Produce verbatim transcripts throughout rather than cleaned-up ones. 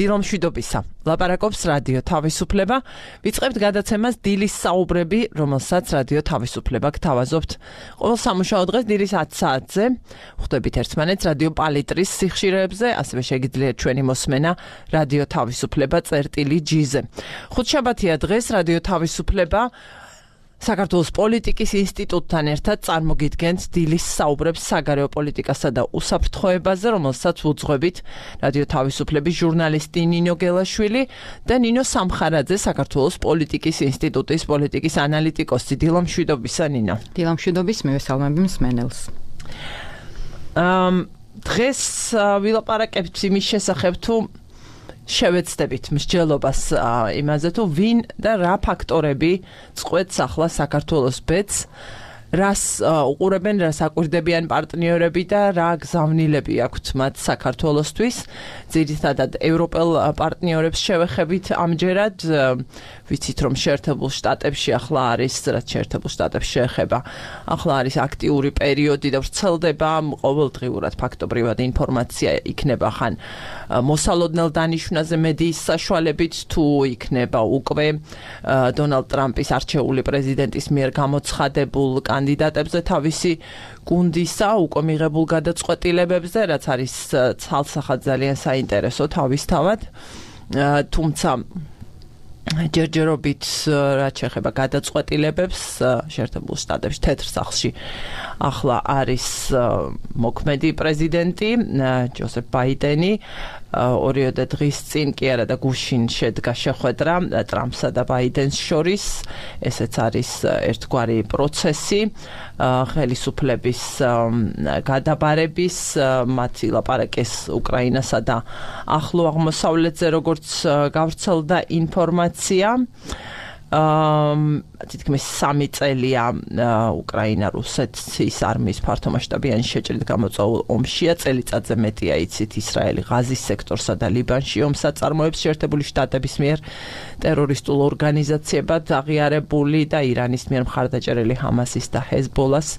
დილომშვიდობისა. ლაპარაკობს რადიო თავისუფლება. ვიწყებთ გადაცემას დილის საუბრები, რომელსაც რადიო თავისუფლება გთავაზობთ. ყოველ სამუშაო დღეს დილის ათი საათზე ხვდებით ერთმანეთს რადიო პალიტრის სიხშირეებზე, ასევე შეგიძლიათ ჩვენი მოსმენა რადიო თავისუფლება წერტილი ჯი-ზე. ხუთშაბათია დღეს რადიო თავისუფლება საქართველოს პოლიტიკის ინსტიტუტთან ერთად წარმოგიდგენთ დილის საუბრებს საგარეო პოლიტიკასა და უსაფრთხოებაზე, რომელსაც უძღვებით რადიო თავისუფლების ჟურნალისტი ნინო გელაშვილი და ნინო სამხარაძე, საქართველოს პოლიტიკის ინსტიტუტის პოლიტიკის ანალიტიკოსი. დილომშვიდობისა, ნინო. დილომშვიდობის, მივესალმები მსმენელს. დღეს ვილაპარაკებთ იმის შესახებ, თუ შევეცდებით მსჯელობას იმაზე, თუ ვინ და რა ფაქტორები წყვეტს ახლა საქართველოს ბედს, რას უყურებენ, რას აკვირდებიან პარტნიორები და რა გზავნილები აქვთ მათ საქართველოსთვის. ძირითადად ევროპელ პარტნიორებს შევეხებით ამჯერად, ვიცით რომ შეერთებულ შტატებში ახლა არის, რაც შეერთებულ შტატებს შეეხება, ახლა არის აქტიური პერიოდი და ვრცელდება ყოველდღიურად ფაქტობრივად ინფორმაცია იქნება ხან მოსალოდნელ დანიშვნაზე მედიის საშუალებით, თუ იქნება უკვე დონალდ ტრამპის არჩეული პრეზიდენტის მიერ გამოცხადებულ კანდიდატებზე თავისი გუნდისა უკვე მიღებულ გადაწყვეტილებებზე, რაც არის ცალსახად ძალიან საინტერესო თავისთავად, თუმცა ჯერჯერობით რაც შეეხება გადაწყვეტილებებს შეერთებულ შტატებში თეთრ სახლში ახლა არის მოქმედი პრეზიდენტი ჯოსეფ ბაიდენი. ორიოდე დღის წინ კი არა და გუშინ შედგა შეხვედრა ტრამპსა და ბაიდენს შორის. ესეც არის ერთგვარი პროცესი ხელისუფლების გადაბარების, მათი ლაპარაკეს უკრაინასა და ახლო აღმოსავლეთზე, როგორც გავრცელდა ინფორმაცია. თითქმის სამი წელია უკრაინა რუსეთის არმიის ფართომასშტაბიანი შეჭრით გამოწვეულ ომშია, წელიწადზე მეტია იცით ისრაელი ღაზის სექტორსა და ლიბანში ომს აწარმოებს შეერთებული შტატების მიერ ტერორისტულ ორგანიზაციებად აღიარებული და ირანის მიერ მხარდაჭერილი ჰამასის და ჰეზბოლას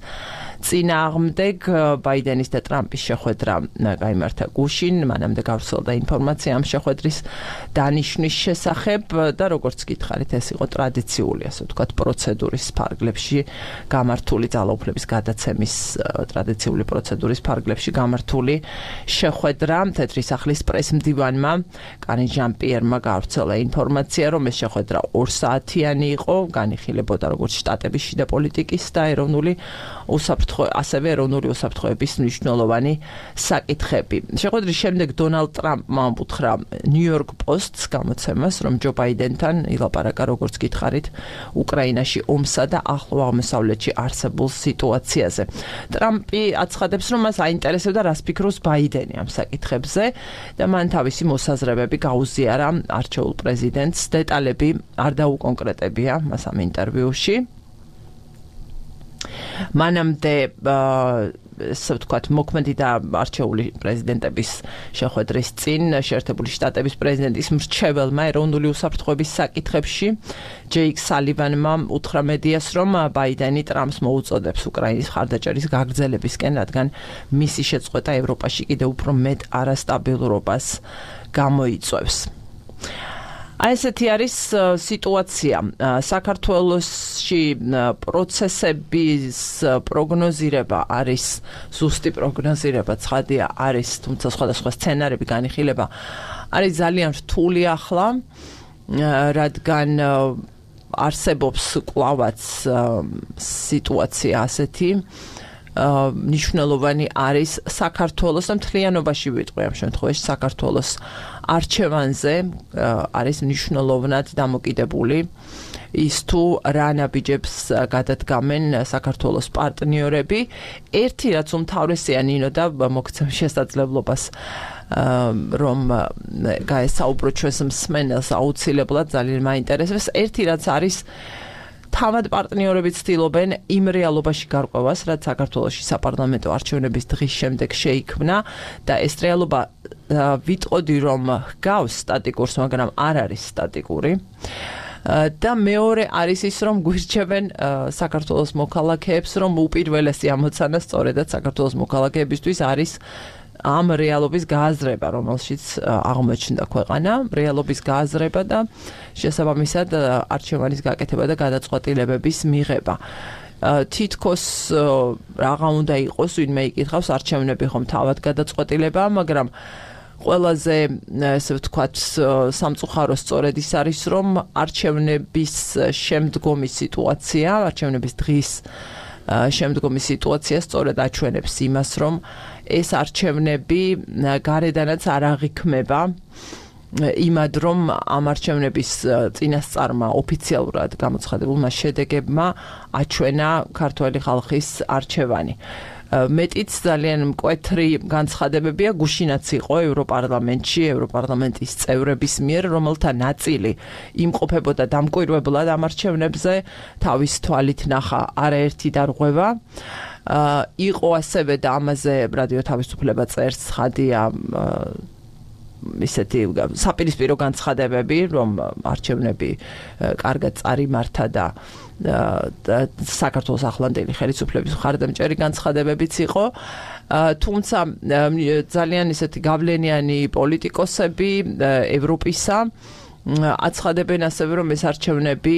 წინააღმდეგ. ბაიდენის და ტრამპის შეხვედრა გაიმართა გუშინ, მანამდე გავრცელდა ინფორმაცია ამ შეხვედრის დანიშვნის შესახებ და როგორც გითხარით, ეს იყო ტრადიციული, ასე ვთქვათ, პროცედურის ფარგლებში გამართული, ძალაუფლების გადაცემის ტრადიციული პროცედურის ფარგლებში გამართული შეხვედრა. თეთრი სახლის პრესმდივანმა კარი ჟან-პიერმა გავრცელა ინფორმაცია, რომ ეს შეხვედრა ორსაათიანი იყო, განიხილებოდა როგორც შტატების შიდა პოლიტიკის და ეროვნული უსაფრთხოების ასევე ეროვნული უსაფრთხოების მნიშვნელოვანი საკითხები. შეხვედრის შემდეგ დონალდ ტრამპმა უთხრა ნიუ-იორკ პოსტს გამოცემას, რომ ჯო ბაიდენთან ილაპარაკა, როგორც გითხარით, უკრაინაში ომსა და ახლო აღმოსავლეთში არსებულ სიტუაციაზე. ტრამპი აცხადებს, რომ მას აინტერესებდა, რას ფიქრობს ბაიდენი ამ საკითხებზე და მან თავისი მოსაზრებები გაუზიარა არჩეულ პრეზიდენტს. დეტალები არ დაუკონკრეტებია მას ამ ინტერვიუში. მანამდე ესე ვთქვათ, მოქმედი და არჩეული პრეზიდენტების შეხვედრის წინ შეერთებული შტატების პრეზიდენტის მრჩეველმა ეროვნული უსაფრთხოების საკითხებში ჯეიკ სალივანმა უთხრა მედიას, რომ ბაიდენი ტრამპს მოუწოდებს უკრაინის მხარდაჭერის გაგრძელებისკენ, რადგან მისი შეწყვეტა ევროპაში კიდევ უფრო მეტ არასტაბილურობას გამოიწვევს. აი ესეთი არის სიტუაცია. საქართველოში პროცესების პროგნოზირება არის ზუსტი პროგნოზირება, ცხადია არის, თუმცა სხვადასხვა სცენარები განიხილება არის ძალიან რთული ახლა, რადგან არსებობს კლავაც სიტუაცია ასეთი, მნიშვნელოვანი არის საქართველოს და მთლიანობაში ვიტყვი ამ შემთხვევაში საქართველოს არჩევანზე არის მნიშვნელოვნად დამოკიდებული ის თუ რა ნაბიჯებს გადადგამენ საქართველოს პარტნიორები. ერთი რაც უმთავრესია ნინო და მოგცემ შესაძლებლობას რომ გაესაუბრო ჩვენს მსმენელს აუცილებლად ძალიან მაინტერესებს. ერთი რაც არის თავად პარტნიორები ცდილობენ იმ რეალობაში გარკვევას, რაც საქართველოში საპარლამენტო არჩევნების დღის შემდეგ შეიქმნა და ეს რეალობა ვიტყოდი რომ ჰგავს სტატიკურს, მაგრამ არ არის სტატიკური. და მეორე არის ის, რომ გვირჩევენ საქართველოს მოქალაქეებს, რომ უპირველესი ამოცანა სწორედაც საქართველოს მოქალაქეებისთვის არის ამ რეალობის გააზრება, რომელშიც აღმოჩნდა ქვეყანა, რეალობის გააზრება და შესაბამისად არჩევანის გაკეთება და გადაწყვეტილებების მიღება. თითქოს რაღა უნდა იყოს, ვინმე იკითხავს, არჩევნები ხომ თავად გადაწყვეტილებაა, მაგრამ ყველაზე ესე ვთქვათ სამწუხარო სწორედ ის არის, რომ არჩევნების შემდგომი სიტუაცია, არჩევნების დღის შემდგომი სიტუაცია სწორედ აჩვენებს იმას, რომ ეს არჩევნები გარედანაც არ აღიქმება იმად, რომ ამ არჩევნების წინასწარმა ოფიციალურად გამოცხადებულმა შედეგებმა აჩვენა ქართველი ხალხის არჩევანი. მეტიც ძალიან მკვეთრი განცხადებებია გუშინაც იყო ევროპარლამენტში, ევროპარლამენტის წევრების მიერ, რომელთა ნაწილი იმყოფებოდა დამკვირვებლად ამ არჩევნებზე, თავის თვალით ნახა არაერთი დარღვევა. იყო ასევე და ამაზე რადიო თავისუფლება წერს ცხადია ისეთი საპირისპირო განცხადებები, რომ არჩევნები კარგად წარიმართა და საქართველოს ახლანდელი ხელისუფლების მხარდამჭერი განცხადებებიც იყო. თუმცა ძალიან ისეთი გავლენიანი პოლიტიკოსები ევროპისა აცხადებენ ასევე, რომ ეს არჩევნები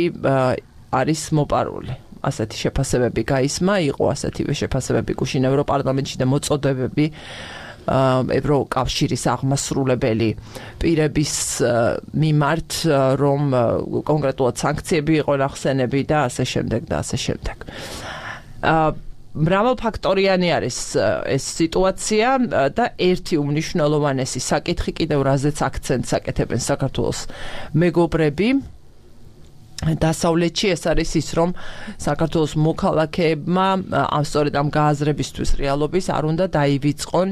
არის მოპარული. ასეთი შეფასებები გაისმა, იყო ასეთივე შეფასებები გუშინ ევროპარლამენტში და მოწოდებები ევროკავშირის აღმასრულებელი პირების მიმართ, რომ კონკრეტულად სანქციები იყო ნახსენები და ასე შემდეგ და ასე შემდეგ. მრავალფაქტორიანი არის ეს სიტუაცია და ერთი უმნიშვნელოვანესი საკითხი კიდევ რაზეც აქცენტს აკეთებენ საქართველოს მეგობრები დასავლეთში ეს არის ის, რომ საქართველოს მოქალაქეებმა ამ სწორედ ამ გააზრებისთვის რეალობის არ უნდა დაივიწყონ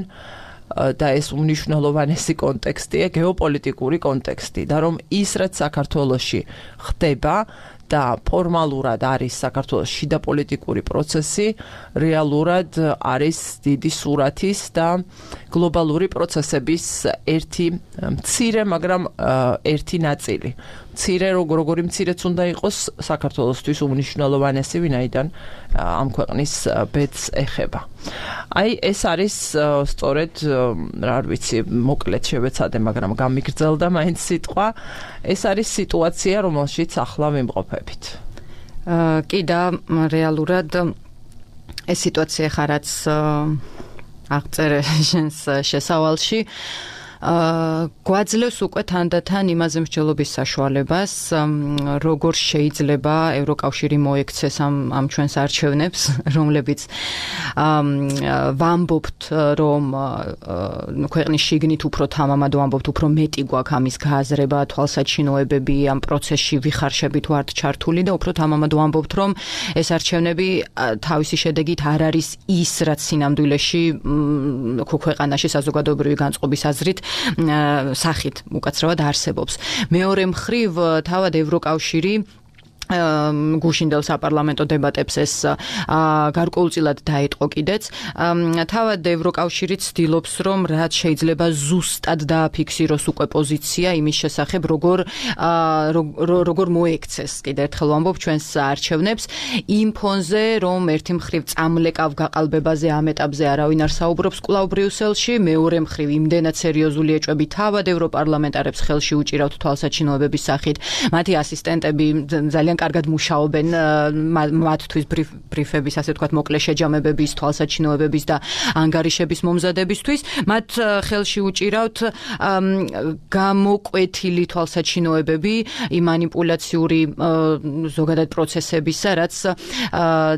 და ეს უმნიშვნელოვანესი კონტექსტია გეოპოლიტიკური კონტექსტი და რომ ის რაც საქართველოში ხდება და ფორმალურად არის საქართველოს შიდა პოლიტიკური პროცესი, რეალურად არის დიდი სურათის და გლობალური პროცესების ერთი მცირე, მაგრამ ერთი ნაწილი. მცირე როგორი მცირეც უნდა იყოს საქართველოსთვის უმნიშვნელოვანესი, ვინაიდან ამ ქვეყნის ბედს ეხება. აი ეს არის სწორედ რა ვიცი, მოკლედ შევეცადე, მაგრამ გამიგრძელდა მაინც სიტყვა. ეს არის სიტუაცია, რომელშიც ახლა ვიმყოფებით. კი და რეალურად ეს სიტუაცია ხარაც აღწერე შენს შესავალში გვაძლევს უკვე თანდათან იმაზე მსჯელობის საშუალებას, როგორ შეიძლება ევროკავშირი მოექცეს ამ ამ ჩვენს არჩევნებს, რომლებიც ვამბობთ, რომ ქვეყნის შიგნით უფრო თამამად ვამბობთ, უფრო მეტი გვაქვს ამის გააზრება, თვალსაჩინოებები ამ პროცესში ვიხარშებით ვართ ჩართული და უფრო თამამად ვამბობთ, რომ ეს არჩევნები თავისი შედეგით არ არის ის, რაც სინამდვილეში ქვეყანაში საზოგადოებრივი განწყობის აზრით სახით უკაცრავად არსებობს. მეორე მხრივ თავად ევროკავშირი გუშინდელ საპარლამენტო დებატებს ეს გარკვეულწილად დაეტყო კიდეც. თავად ევროკავშირი ცდილობს, რომ რაც შეიძლება ზუსტად დააფიქსიროს უკვე პოზიცია იმის შესახებ, როგორ როგორ მოექცეს, კიდე ერთხელ ვამბობ, ჩვენს არჩევნებს იმ ფონზე, რომ ერთი მხრივ წამლეკავ გაყალბებაზე ამ ეტაპზე არავინ არ საუბრობს კვლავ ბრიუსელში, მეორე მხრივ იმდენად სერიოზული ეჭვები თავად ევროპარლამენტარებს ხელში უჭირავთ თვალსაჩინოებების სახით, მათი ასისტენტები ძალიან კარგად მუშაობენ მათთვის ბრიფების, ასე ვთქვათ, მოკლე შეჯამებების, თვალსაჩინოებების და ანგარიშების მომზადებისთვის. მათ ხელში უჭირავთ გამოკვეთილი თვალსაჩინოებები იმ მანიპულაციური ზოგადად პროცესებისა, რაც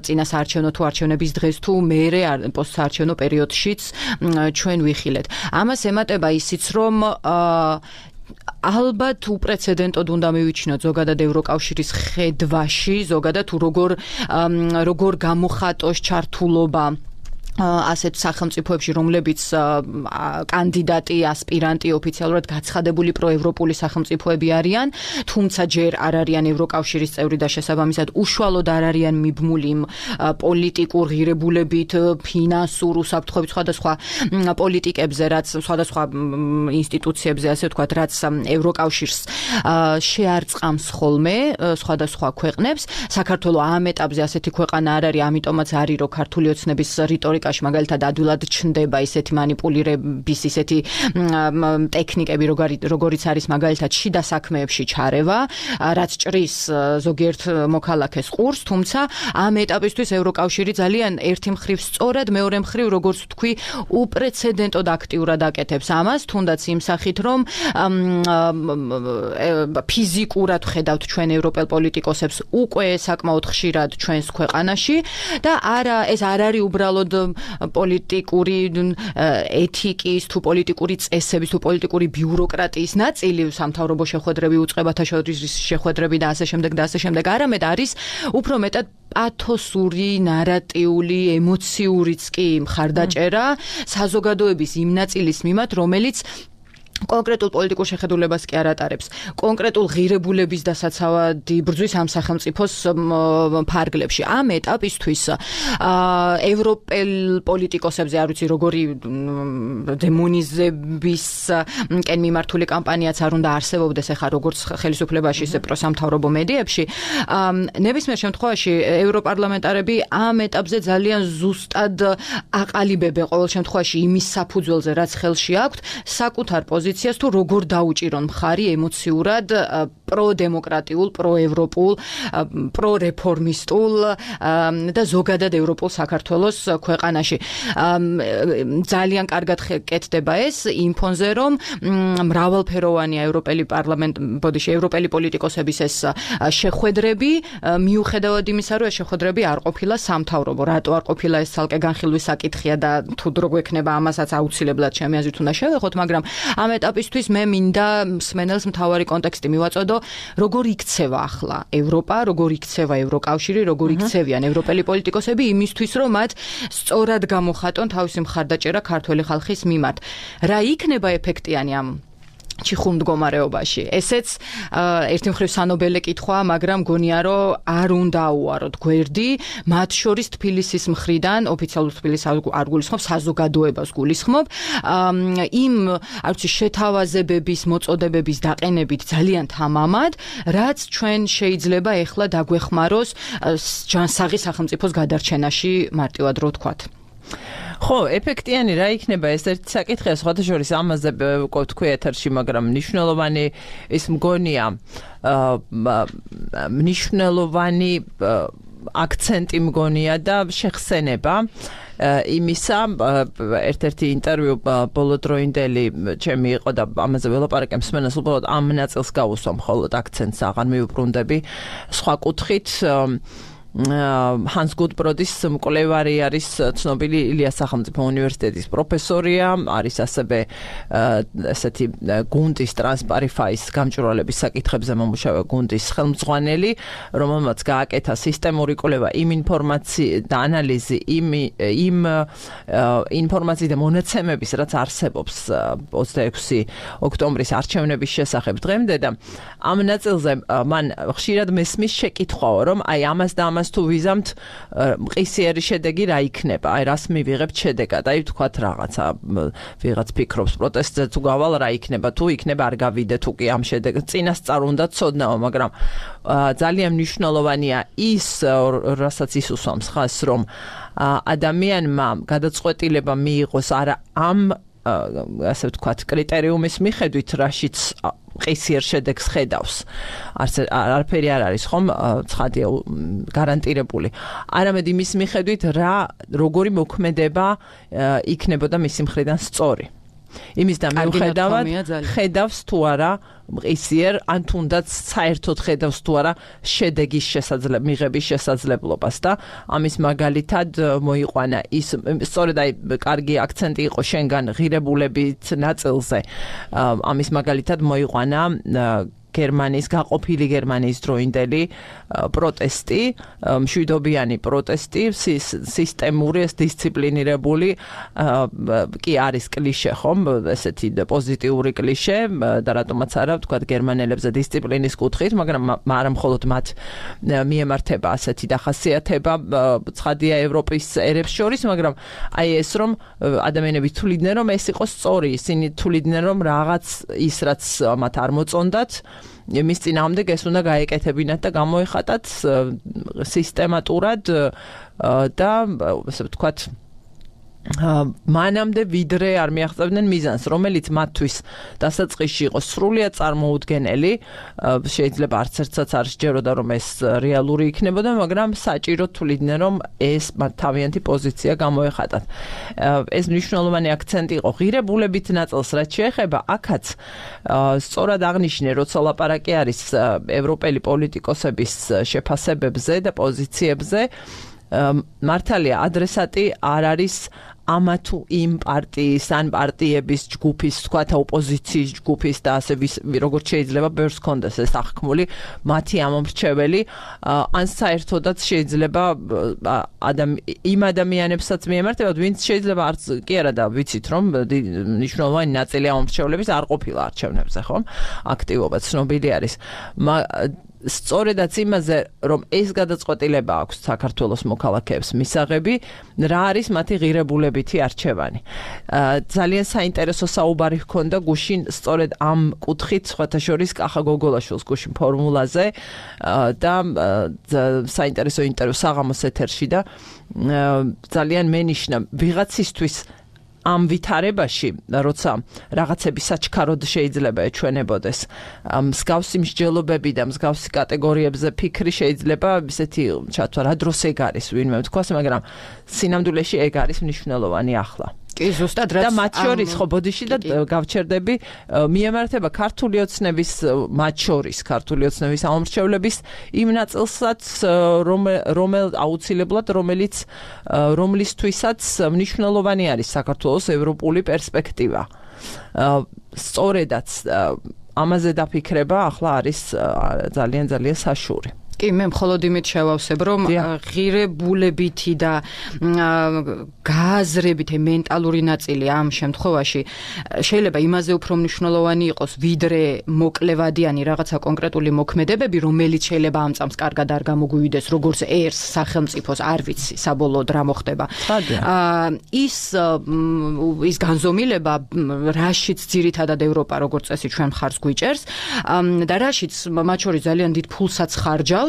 წინა საარჩევნო თუ არჩევნების დღეს თუ მერე პოსტსაარჩევნო პერიოდშიც ჩვენ ვიხილეთ. ამას ემატება ისიც, რომ ალბათ უპრეცედენტოდ უნდა მივიჩინოთ ზოგადად ევროკავშირის ხედვაში, ზოგადად თუ როგორ როგორ გამოხატოს ჩართულობა ასეთ სახელმწიფოებში, რომლებიც კანდიდატი, ასპირანტი ოფიციალურად გაცხადებული პროევროპული სახელმწიფოები არიან, თუმცა ჯერ არ არიან ევროკავშირის წევრი და შესაბამისად უშუალოდ არ არიან მიბმული პოლიტიკურ ღირებულებით, ფინანსურ უსაფრთხოებით სხვადასხვა პოლიტიკებზე, რაც სხვადასხვა ინსტიტუციებზე, ასე ვთქვათ, რაც ევროკავშირს შეარწყამს ხოლმე სხვადასხვა ქვეყნებს. საქართველო ამ ეტაპზე ასეთი ქვეყანა არ არის, ამიტომაც არის, რომ ქართული ოცნების რიტორიკა ეკონომიკაში მაგალითად ადვილად ჩნდება ისეთი манипуლირების ისეთი ტექნიკები, როგორიც არის მაგალითად შიდა საქმეებში ჩარევა, რაც ჭრის ზოგიერთ მოქალაქეს ყურს, თუმცა ამ ეტაპისთვის ევროკავშირი ძალიან ერთი მხრივ სწორად, მეორე მხრივ როგორც თქვი, უპრეცედენტოდ აქტიურად აკეთებს ამას, თუნდაც იმ სახით, რომ ფიზიკურად ხედავთ ჩვენ ევროპელ პოლიტიკოსებს უკვე საკმაოდ ხშირად ჩვენს ქვეყანაში და არა ეს არ არის უბრალოდ პოლიტიკური ეთიკის თუ პოლიტიკური წესების თუ პოლიტიკური ბიუროკრატიის ნაწილი, სამთავრობო შეხვედრები, უწყებათა შორის შეხვედრები და ასე შემდეგ და ასე შემდეგ, არამედ არის უფრო მეტად პათოსური, ნარატიული, ემოციურიც კი მხარდაჭერა საზოგადოების იმ ნაწილის მიმართ, რომელიც კონკრეტულ პოლიტიკურ შეხედულებას კი არ ატარებს. კონკრეტულ ღირებულების დასაცავად იბრძვის ამ სახელმწიფოს ფარგლებში. ამ ეტაპისთვის ევროპელ პოლიტიკოსებზე არ ვიცი როგორი დემონიზებისკენ მიმართული კამპანიაც არ უნდა არსებობდეს ახლა როგორც ხელისუფლებაში, ისე პროსამთავრობო მედიებში. ნებისმიერ შემთხვევაში ევროპარლამენტარები ამ ეტაპზე ძალიან ზუსტად აყალიბებენ ყოველ შემთხვევაში იმის საფუძველზე, რაც ხელში აქვთ, საკუთარ პოზიციას თუ როგორ დაუჭირონ მხარი ემოციურად პროდემოკრატიულ, პროევროპულ, პრორეფორმისტულ და ზოგადად ევროპულ საქართველოს ქვეყანაში. ძალიან კარგად კეთდება ეს იმ ფონზე, რომ მრავალფეროვანია ევროპელი პარლამენტ, ბოდიში, ევროპელი პოლიტიკოსების ეს შეხვედრები, მიუხედავად იმისა, რომ ეს შეხვედრები არ ყოფილა სამთავრობო. რატო არ ყოფილა ეს ცალკე განხილვის საკითხია და თუ დრო გვექნება ამასაც აუცილებლად ჩემი აზრით უნდა შევეხოთ, მაგრამ ამ ეტაპისთვის მე მინდა მსმენელს მთავარი კონტექსტი მივაწოდო, როგორ იქცევა ახლა ევროპა, როგორ იქცევა ევროკავშირი, როგორ იქცევიან ევროპელი პოლიტიკოსები იმისთვის, რომ მათ სწორად გამოხატონ თავისი მხარდაჭერა ქართველი ხალხის მიმართ. რა იქნება ეფექტიანი ამ ჩიხურ მდგომარეობაში. ესეც ერთი მხრივ სანობელე კითხვაა, მაგრამ გონია, რომ არ უნდა აუაროთ გვერდი, მათ შორის თბილისის მხრიდან, ოფიციალურ თბილისს არ გულისხმობ, საზოგადოებას გულისხმობ, იმ არ ვიცი შეთავაზებების, მოწოდებების დაყენებით ძალიან თამამად, რაც ჩვენ შეიძლება ეხლა დაგვეხმაროს ჯანსაღი სახელმწიფოს გადარჩენაში, მარტივად რო ვთქვათ. ხო, ეფექტიანი რა იქნება ეს ერთი საკითხია, სხვათა შორის ამაზე ვთქვი ეთერში, მაგრამ მნიშვნელოვანი ის მგონია, მნიშვნელოვანი აქცენტი მგონია და შეხსენება იმისა, ერთ-ერთი ინტერვიუ ბოლოდროინდელი ჩემი იყო და ამაზე ველაპარაკე მსმენელს, უბრალოდ ამ ნაწილს გავუსვა, მხოლოდ აქცენტს აღარ მივუბრუნდები. სხვა კუთხით Hans Gutbrod-ის მკვლევარი არის ცნობილი ილიას სახელმწიფო უნივერსიტეტის პროფესორია, არის ასევე ესეთი გუნდის ტრანსპარიფაის გამჭვირვალების საკითხებზე მომუშავე გუნდის ხელმძღვანელი, რომელმაც გააკეთა სისტემური კვლევა იმ ინფორმაციის და ანალიზი იმ იმ ინფორმაციის და მონაცემების, რაც არსებობს ოცდაექვსი ოქტომბრის არჩევნების შესახებ დღემდე და ამ ნაწილზე მან ხშირად მესმის შეკითხვაო, რომ აი ამას და ამას თუ ვიზამთ მყისიერი შედეგი რა იქნება, აი რას მივიღებთ შედეგად, აი ვთქვათ რაღაცა ვიღაც ფიქრობს პროტესტზე თუ გავალ რა იქნება, თუ იქნება არ გავიდე, თუ კი ამ შედეგს წინასწარ უნდა ცოდნაო, მაგრამ ძალიან მნიშვნელოვანია ის, რასაც ის უსვამს ხაზს, რომ ადამიანმა გადაწყვეტილება მიიღოს არა ამ ასე ვთქვათ კრიტერიუმის მიხედვით, რაშიც ყისიერ შედეგს ხედავს. არაფერი არ არის ხომ ცხადია გარანტირებული. არამედ იმის მიხედვით რა როგორი მოქმედება იქნებოდა მისი მხრიდან სწორი. იმის და მიუხედავად ხედავს თუ არა მყისიერ ან თუნდაც საერთოდ ხედავს თუ არა შედეგის შესაძლებლ მიღების შესაძლებლობას და ამის მაგალითად მოიყვანა ის სწორედ აი კარგი აქცენტი იყო შენგან ღირებულებით ნაწილზე ამის მაგალითად მოიყვანა გერმანიის გაყოფილი გერმანიის დროინდელი პროტესტი, მშვიდობიანი პროტესტი, სისტემური, დისციპლინირებული კი არის კლიშე, ხომ, ესეთი პოზიტიური კლიშე და რატომაც არა, ვთქვათ, გერმანელებზე დისციპლინის კუთხით, მაგრამ არა მხოლოდ მათ მიემართება ასეთი დახასიათება, ცხადია ევროპის ერებს შორის, მაგრამ აი ეს რომ ადამიანები თვლიდნენ, რომ ეს იყო სწორი, ისინი თვლიდნენ, რომ რაღაც ის რაც მათ არ მოწონდათ მის წინააღმდეგ ეს უნდა გაეკეთებინათ და გამოეხატათ სისტემატურად და ასე ვთქვათ მანამდე ვიდრე არ მიაღწევდნენ მიზანს, რომელიც მათთვის დასაწყისში იყო სრულიად წარმოუდგენელი, შეიძლება არც ერთსაც არ სჯეროდა, რომ ეს რეალური იქნებოდა, მაგრამ საჭირო თვლიდნენ, რომ ეს მათ თავიანთი პოზიცია გამოეხატათ. ეს მნიშვნელოვანი აქცენტი იყო ღირებულებით ნაწილს, რაც შეეხება, აქაც სწორად აღნიშნე, როცა ლაპარაკი არის ევროპელი პოლიტიკოსების შეფასებებზე და პოზიციებზე, მართალია ადრესატი არ არის ამა თუ იმ პარტიის ან პარტიების ჯგუფის, თქვათ ოპოზიციის ჯგუფის და ასე როგორც შეიძლება ბევრს ქონდეს ეს აღქმული მათი ამომრჩეველი, ან საერთოდაც შეიძლება იმ ადამიანებსაც მიემართებათ, ვინც შეიძლება არც კი არა და ვიცით, რომ მნიშვნელოვანი ნაწილი ამომრჩევლების არ ყოფილა არჩევნებზე, ხო? აქტივობა ცნობილი არის. სწორედაც იმაზე, რომ ეს გადაწყვეტილება აქვს საქართველოს მოქალაქეებს მისაღები, რა არის მათი ღირებულებითი არჩევანი. ძალიან საინტერესო საუბარი ჰქონდა გუშინ სწორედ ამ კუთხით, სხვათა შორის კახა გოგოლაშვილს გუშინ ფორმულაზე და საინტერესო ინტერვიუ საღამოს ეთერში და ძალიან მენიშნა ვიღაცისთვის ამ ვითარებაში, როცა რაღაცები საჩქაროდ შეიძლება ეჩვენებოდეს, მსგავსი მსჯელობები და მსგავსი კატეგორიებზე ფიქრი შეიძლება ისეთი ჩათვა, რა დროს ეგ არის ვინმე თქვას, მაგრამ სინამდვილეში ეგ არის მნიშვნელოვანი ახლა. კი, ზუსტად რაც და მათ შორის ხო ბოდიში და გავჩერდები მიემართება ქართული ოცნების, მათ შორის ქართული ოცნების ამომრჩევლების იმ ნაწილსაც, რომელ აუცილებლად რომელიც რომლისთვისაც მნიშვნელოვანი არის საქართველოს ევროპული პერსპექტივა. სწორედაც ამაზე დაფიქრება ახლა არის ძალიან ძალიან საშური. კი, მე მხოლოდ იმით შევავსებ, რომ ღირებულებითი და გააზრებითი მენტალური ნაწილი ამ შემთხვევაში შეიძლება იმაზე უფრო მნიშვნელოვანი იყოს, ვიდრე მოკლევადიანი რაღაცა კონკრეტული მოქმედებები, რომელიც შეიძლება ამ წამს კარგად არ გამოგვივიდეს, როგორც ერს სახელმწიფოს, არ ვიცი, საბოლოოდ რა მოხდება. ის ის განზომილება, რაშიც ძირითადად ევროპა როგორც წესი ჩვენ მხარს გვიჭერს და რაშიც მათ შორის ძალიან დიდ ფულსაც ხარჯავს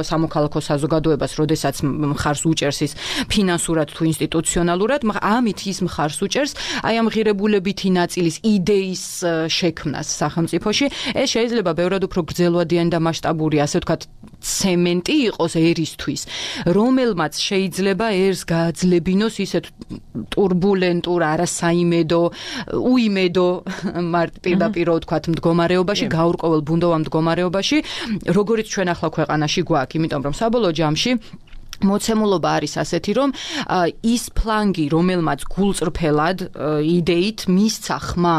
სამოქალაქო საზოგადოებას, როდესაც მხარს უჭერს ის ფინანსურად თუ ინსტიტუციონალურად, ამით ის მხარს უჭერს აი ამ ღირებულებითი ნაწილის იდეის შექმნას სახელმწიფოში. ეს შეიძლება ბევრად უფრო გრძელვადიანი და მასშტაბური, ასე ვთქვათ, ცემენტი იყოს ერისთვის, რომელმაც შეიძლება ერს გააძლებინოს ისეთ ტურბულენტურ, არასაიმედო, უიმედო პირდაპირ ვთქვათ მდგომარეობაში, გაურკვეველ ბუნდოვან მდგომარეობაში, როგორც ჩვენ ახლა ქვეყანაში გვაქვს, იმიტომ რომ საბოლოო ჯამში მოცემულობა არის ასეთი, რომ ის ფლანგი, რომელმაც გულწრფელად იდეით მისცა ხმა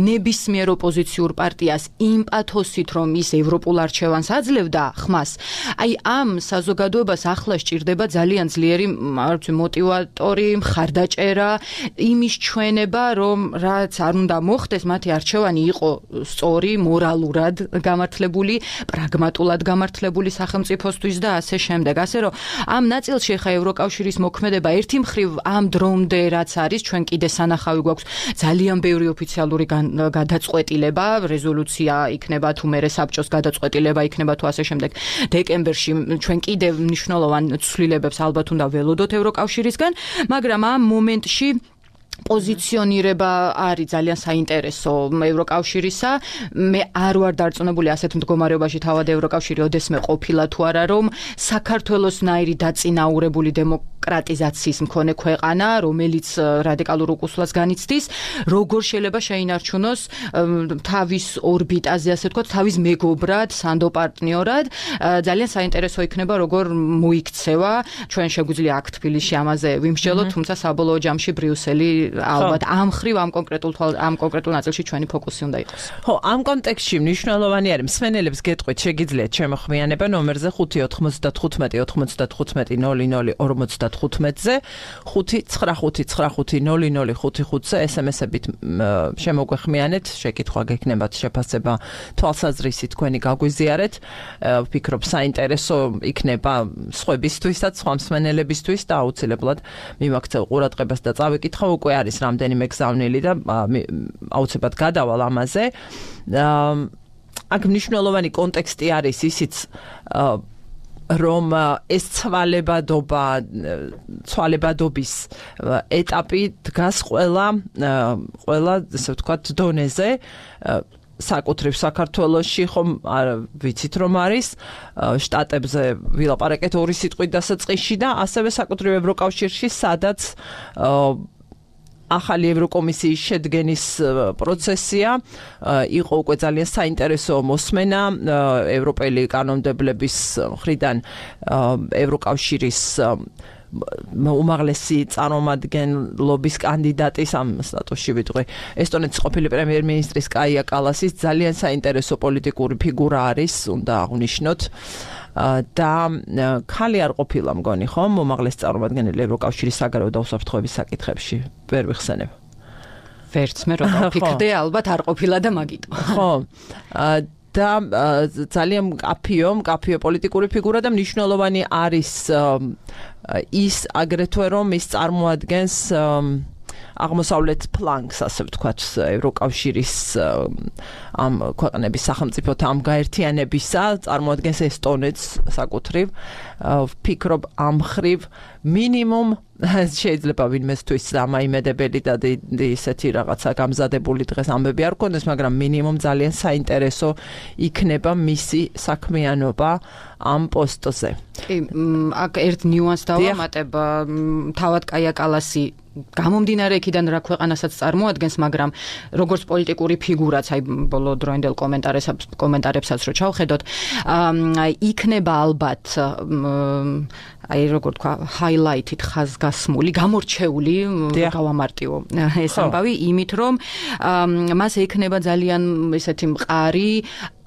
ნებისმიერ ოპოზიციურ პარტიას იმ პათოსით, რომ ის ევროპულ არჩევანს აძლევდა ხმას, აი ამ საზოგადოებას ახლა სჭირდება ძალიან ძლიერი მოტივატორი, მხარდაჭერა, იმის ჩვენება, რომ რაც არ უნდა მოხდეს, მათი არჩევანი იყო სწორი, მორალურად გამართლებული, პრაგმატულად გამართლებული სახელმწიფოსთვის და ასე შემდეგ. ასე რომ ამ ნაწილში ხა ევროკავშირის მოქმედება ერთი მხრივ ამ დრომდე რაც არის, ჩვენ კიდე სანახავი გვაქვს ძალიან ბევრი ოფიციალური გადაწყვეტილება, რეზოლუცია იქნება თუ მერე საბჭოს გადაწყვეტილება იქნება თუ ასე შემდეგ. დეკემბერში ჩვენ კიდე მნიშვნელოვან ცვლილებებს ალბათ უნდა ველოდოთ ევროკავშირისგან, მაგრამ ამ მომენტში პოზიციონირება არის ძალიან საინტერესო ევროკავშირისა. მე არ ვარ დარწმუნებული ასეთ მდგომარეობაში თავად ევროკავშირი ოდესმე ყოფილა თუ არა, რომ საქართველოსნაირი დაწინაურებული დემოკრატიზაციის მქონე ქვეყანა, რომელიც რადიკალურ უკუსლას განიცდის, როგორ შეიძლება შეინარჩუნოს თავის ორბიტაზე, ასე ვთქვათ, თავის მეგობრად, სანდოპარტნიორად. ძალიან საინტერესო იქნება, როგორ მოიქცევა. ჩვენ შეგვიძლია აქ თბილისში ამაზე ვიმსჯელოთ, თუმცა საბოლოო ჯამში ბრიუსელი ალბათ ამ ხრივ ამ კონკრეტულ ამ კონკრეტულ ნაწილში ჩვენი ფოკუსი უნდა იყოს. ხო, ამ კონტექსტში მნიშვნელოვანი არის მსმენელებს გეტყვით, შეგიძლიათ შემოხმიანება ნომერზე ხუთი ოთხმოცდათხუთმეტი ოთხმოცდათხუთმეტი ნოლი ნოლი ორმოცდათხუთმეტზე, ხუთი ცხრა ხუთი ცხრა ხუთი ნოლი ნოლი ხუთი ხუთზე ესემესებით შემოგვეხმიანეთ, შეკითხვა გექნებათ, შეფასება, თვალსაზრისი თქვენი გაგვიზიარეთ. ვფიქრობ, საინტერესო იქნება სხვებისთვისაც, სხვა მსმენელებისთვის და აუცილებლად მიმაქცევ ყურადღებას და წავიკითხავ. უკვე არის რამდენიმე გზავნილი და აუცილებლად გადავალ ამაზე. აქ მნიშვნელოვანი კონტექსტი არის ისიც რომ ეს ცვალებადობა ცვალებადობის ეტაპი დგას ყველა ყველა ესე ვთქვათ დონეზე საკუთრივ საქართველოში ხომ არ ვიცით რომ არის შტატებზე ვილაპარაკეთ ორი სიტყვით დასაწყისში და ასევე საკუთრივ ევროკავშირში სადაც ახალი ევროკომისიის შედგენის პროცესია იყო უკვე ძალიან საინტერესო მოსმენა ევროპელი კანონმდებლების მხრიდან ევროკავშირის უმაღლესი წარმომადგენლობის კანდიდატის ამ სტატუსში ვიტყვი ესტონეთის ყოფილი პრემიერ-მინისტრის კაია კალასის ძალიან საინტერესო პოლიტიკური ფიგურა არის უნდა აღვნიშნოთ და ხალი არ ყოფილა მგონი ხომ უმაღლესი წარმომადგენელი ევროკავშირის საგარეო და უსაფრთხოების საკითხებში ვერ ვიხსენებ ვერც მე რომ ვფიქრდე ალბათ არ ყოფილა და მაგიტო ხო და ძალიან კაფიო კაფიო პოლიტიკური ფიგურა და მნიშვნელოვანი არის ის აგრეთვე რომ ის წარმოადგენს აღმოსავლეთ ფლანგს ასე ვთქვათ ევროკავშირის ამ ქვეყნების სახელმწიფოთა ამ გაერთიანებისა წარმოადგენს ესტონეთს საკუთრივ ვფიქრობ ამ ხრივ მინიმუმ შეიძლება ვინმესთვის დამაიმედებელი და ისეთი რაღაცა გამზადებული დღეს ამბები არ გქონდეს მაგრამ მინიმუმ ძალიან საინტერესო იქნება მისი საქმიანობა ამ პოსტზე კი აქ ერთ ნიუანსს დავამატებ თავად კაია კალასი გამომდინარე იქიდან რა ქვეყანასაც წარმოადგენს, მაგრამ როგორც პოლიტიკური ფიგურაც, აი ბოლო დროინდელ კომენტარებსაც კომენტარებსაც რო ჩავხედოთ, იქნება ალბათ აი როგორ თქვა, highlighted ხაზგასმული, გამორჩეული, გავამარტივო ეს ამბავი, იმით რომ მას ექნება ძალიან ესეთი მყარი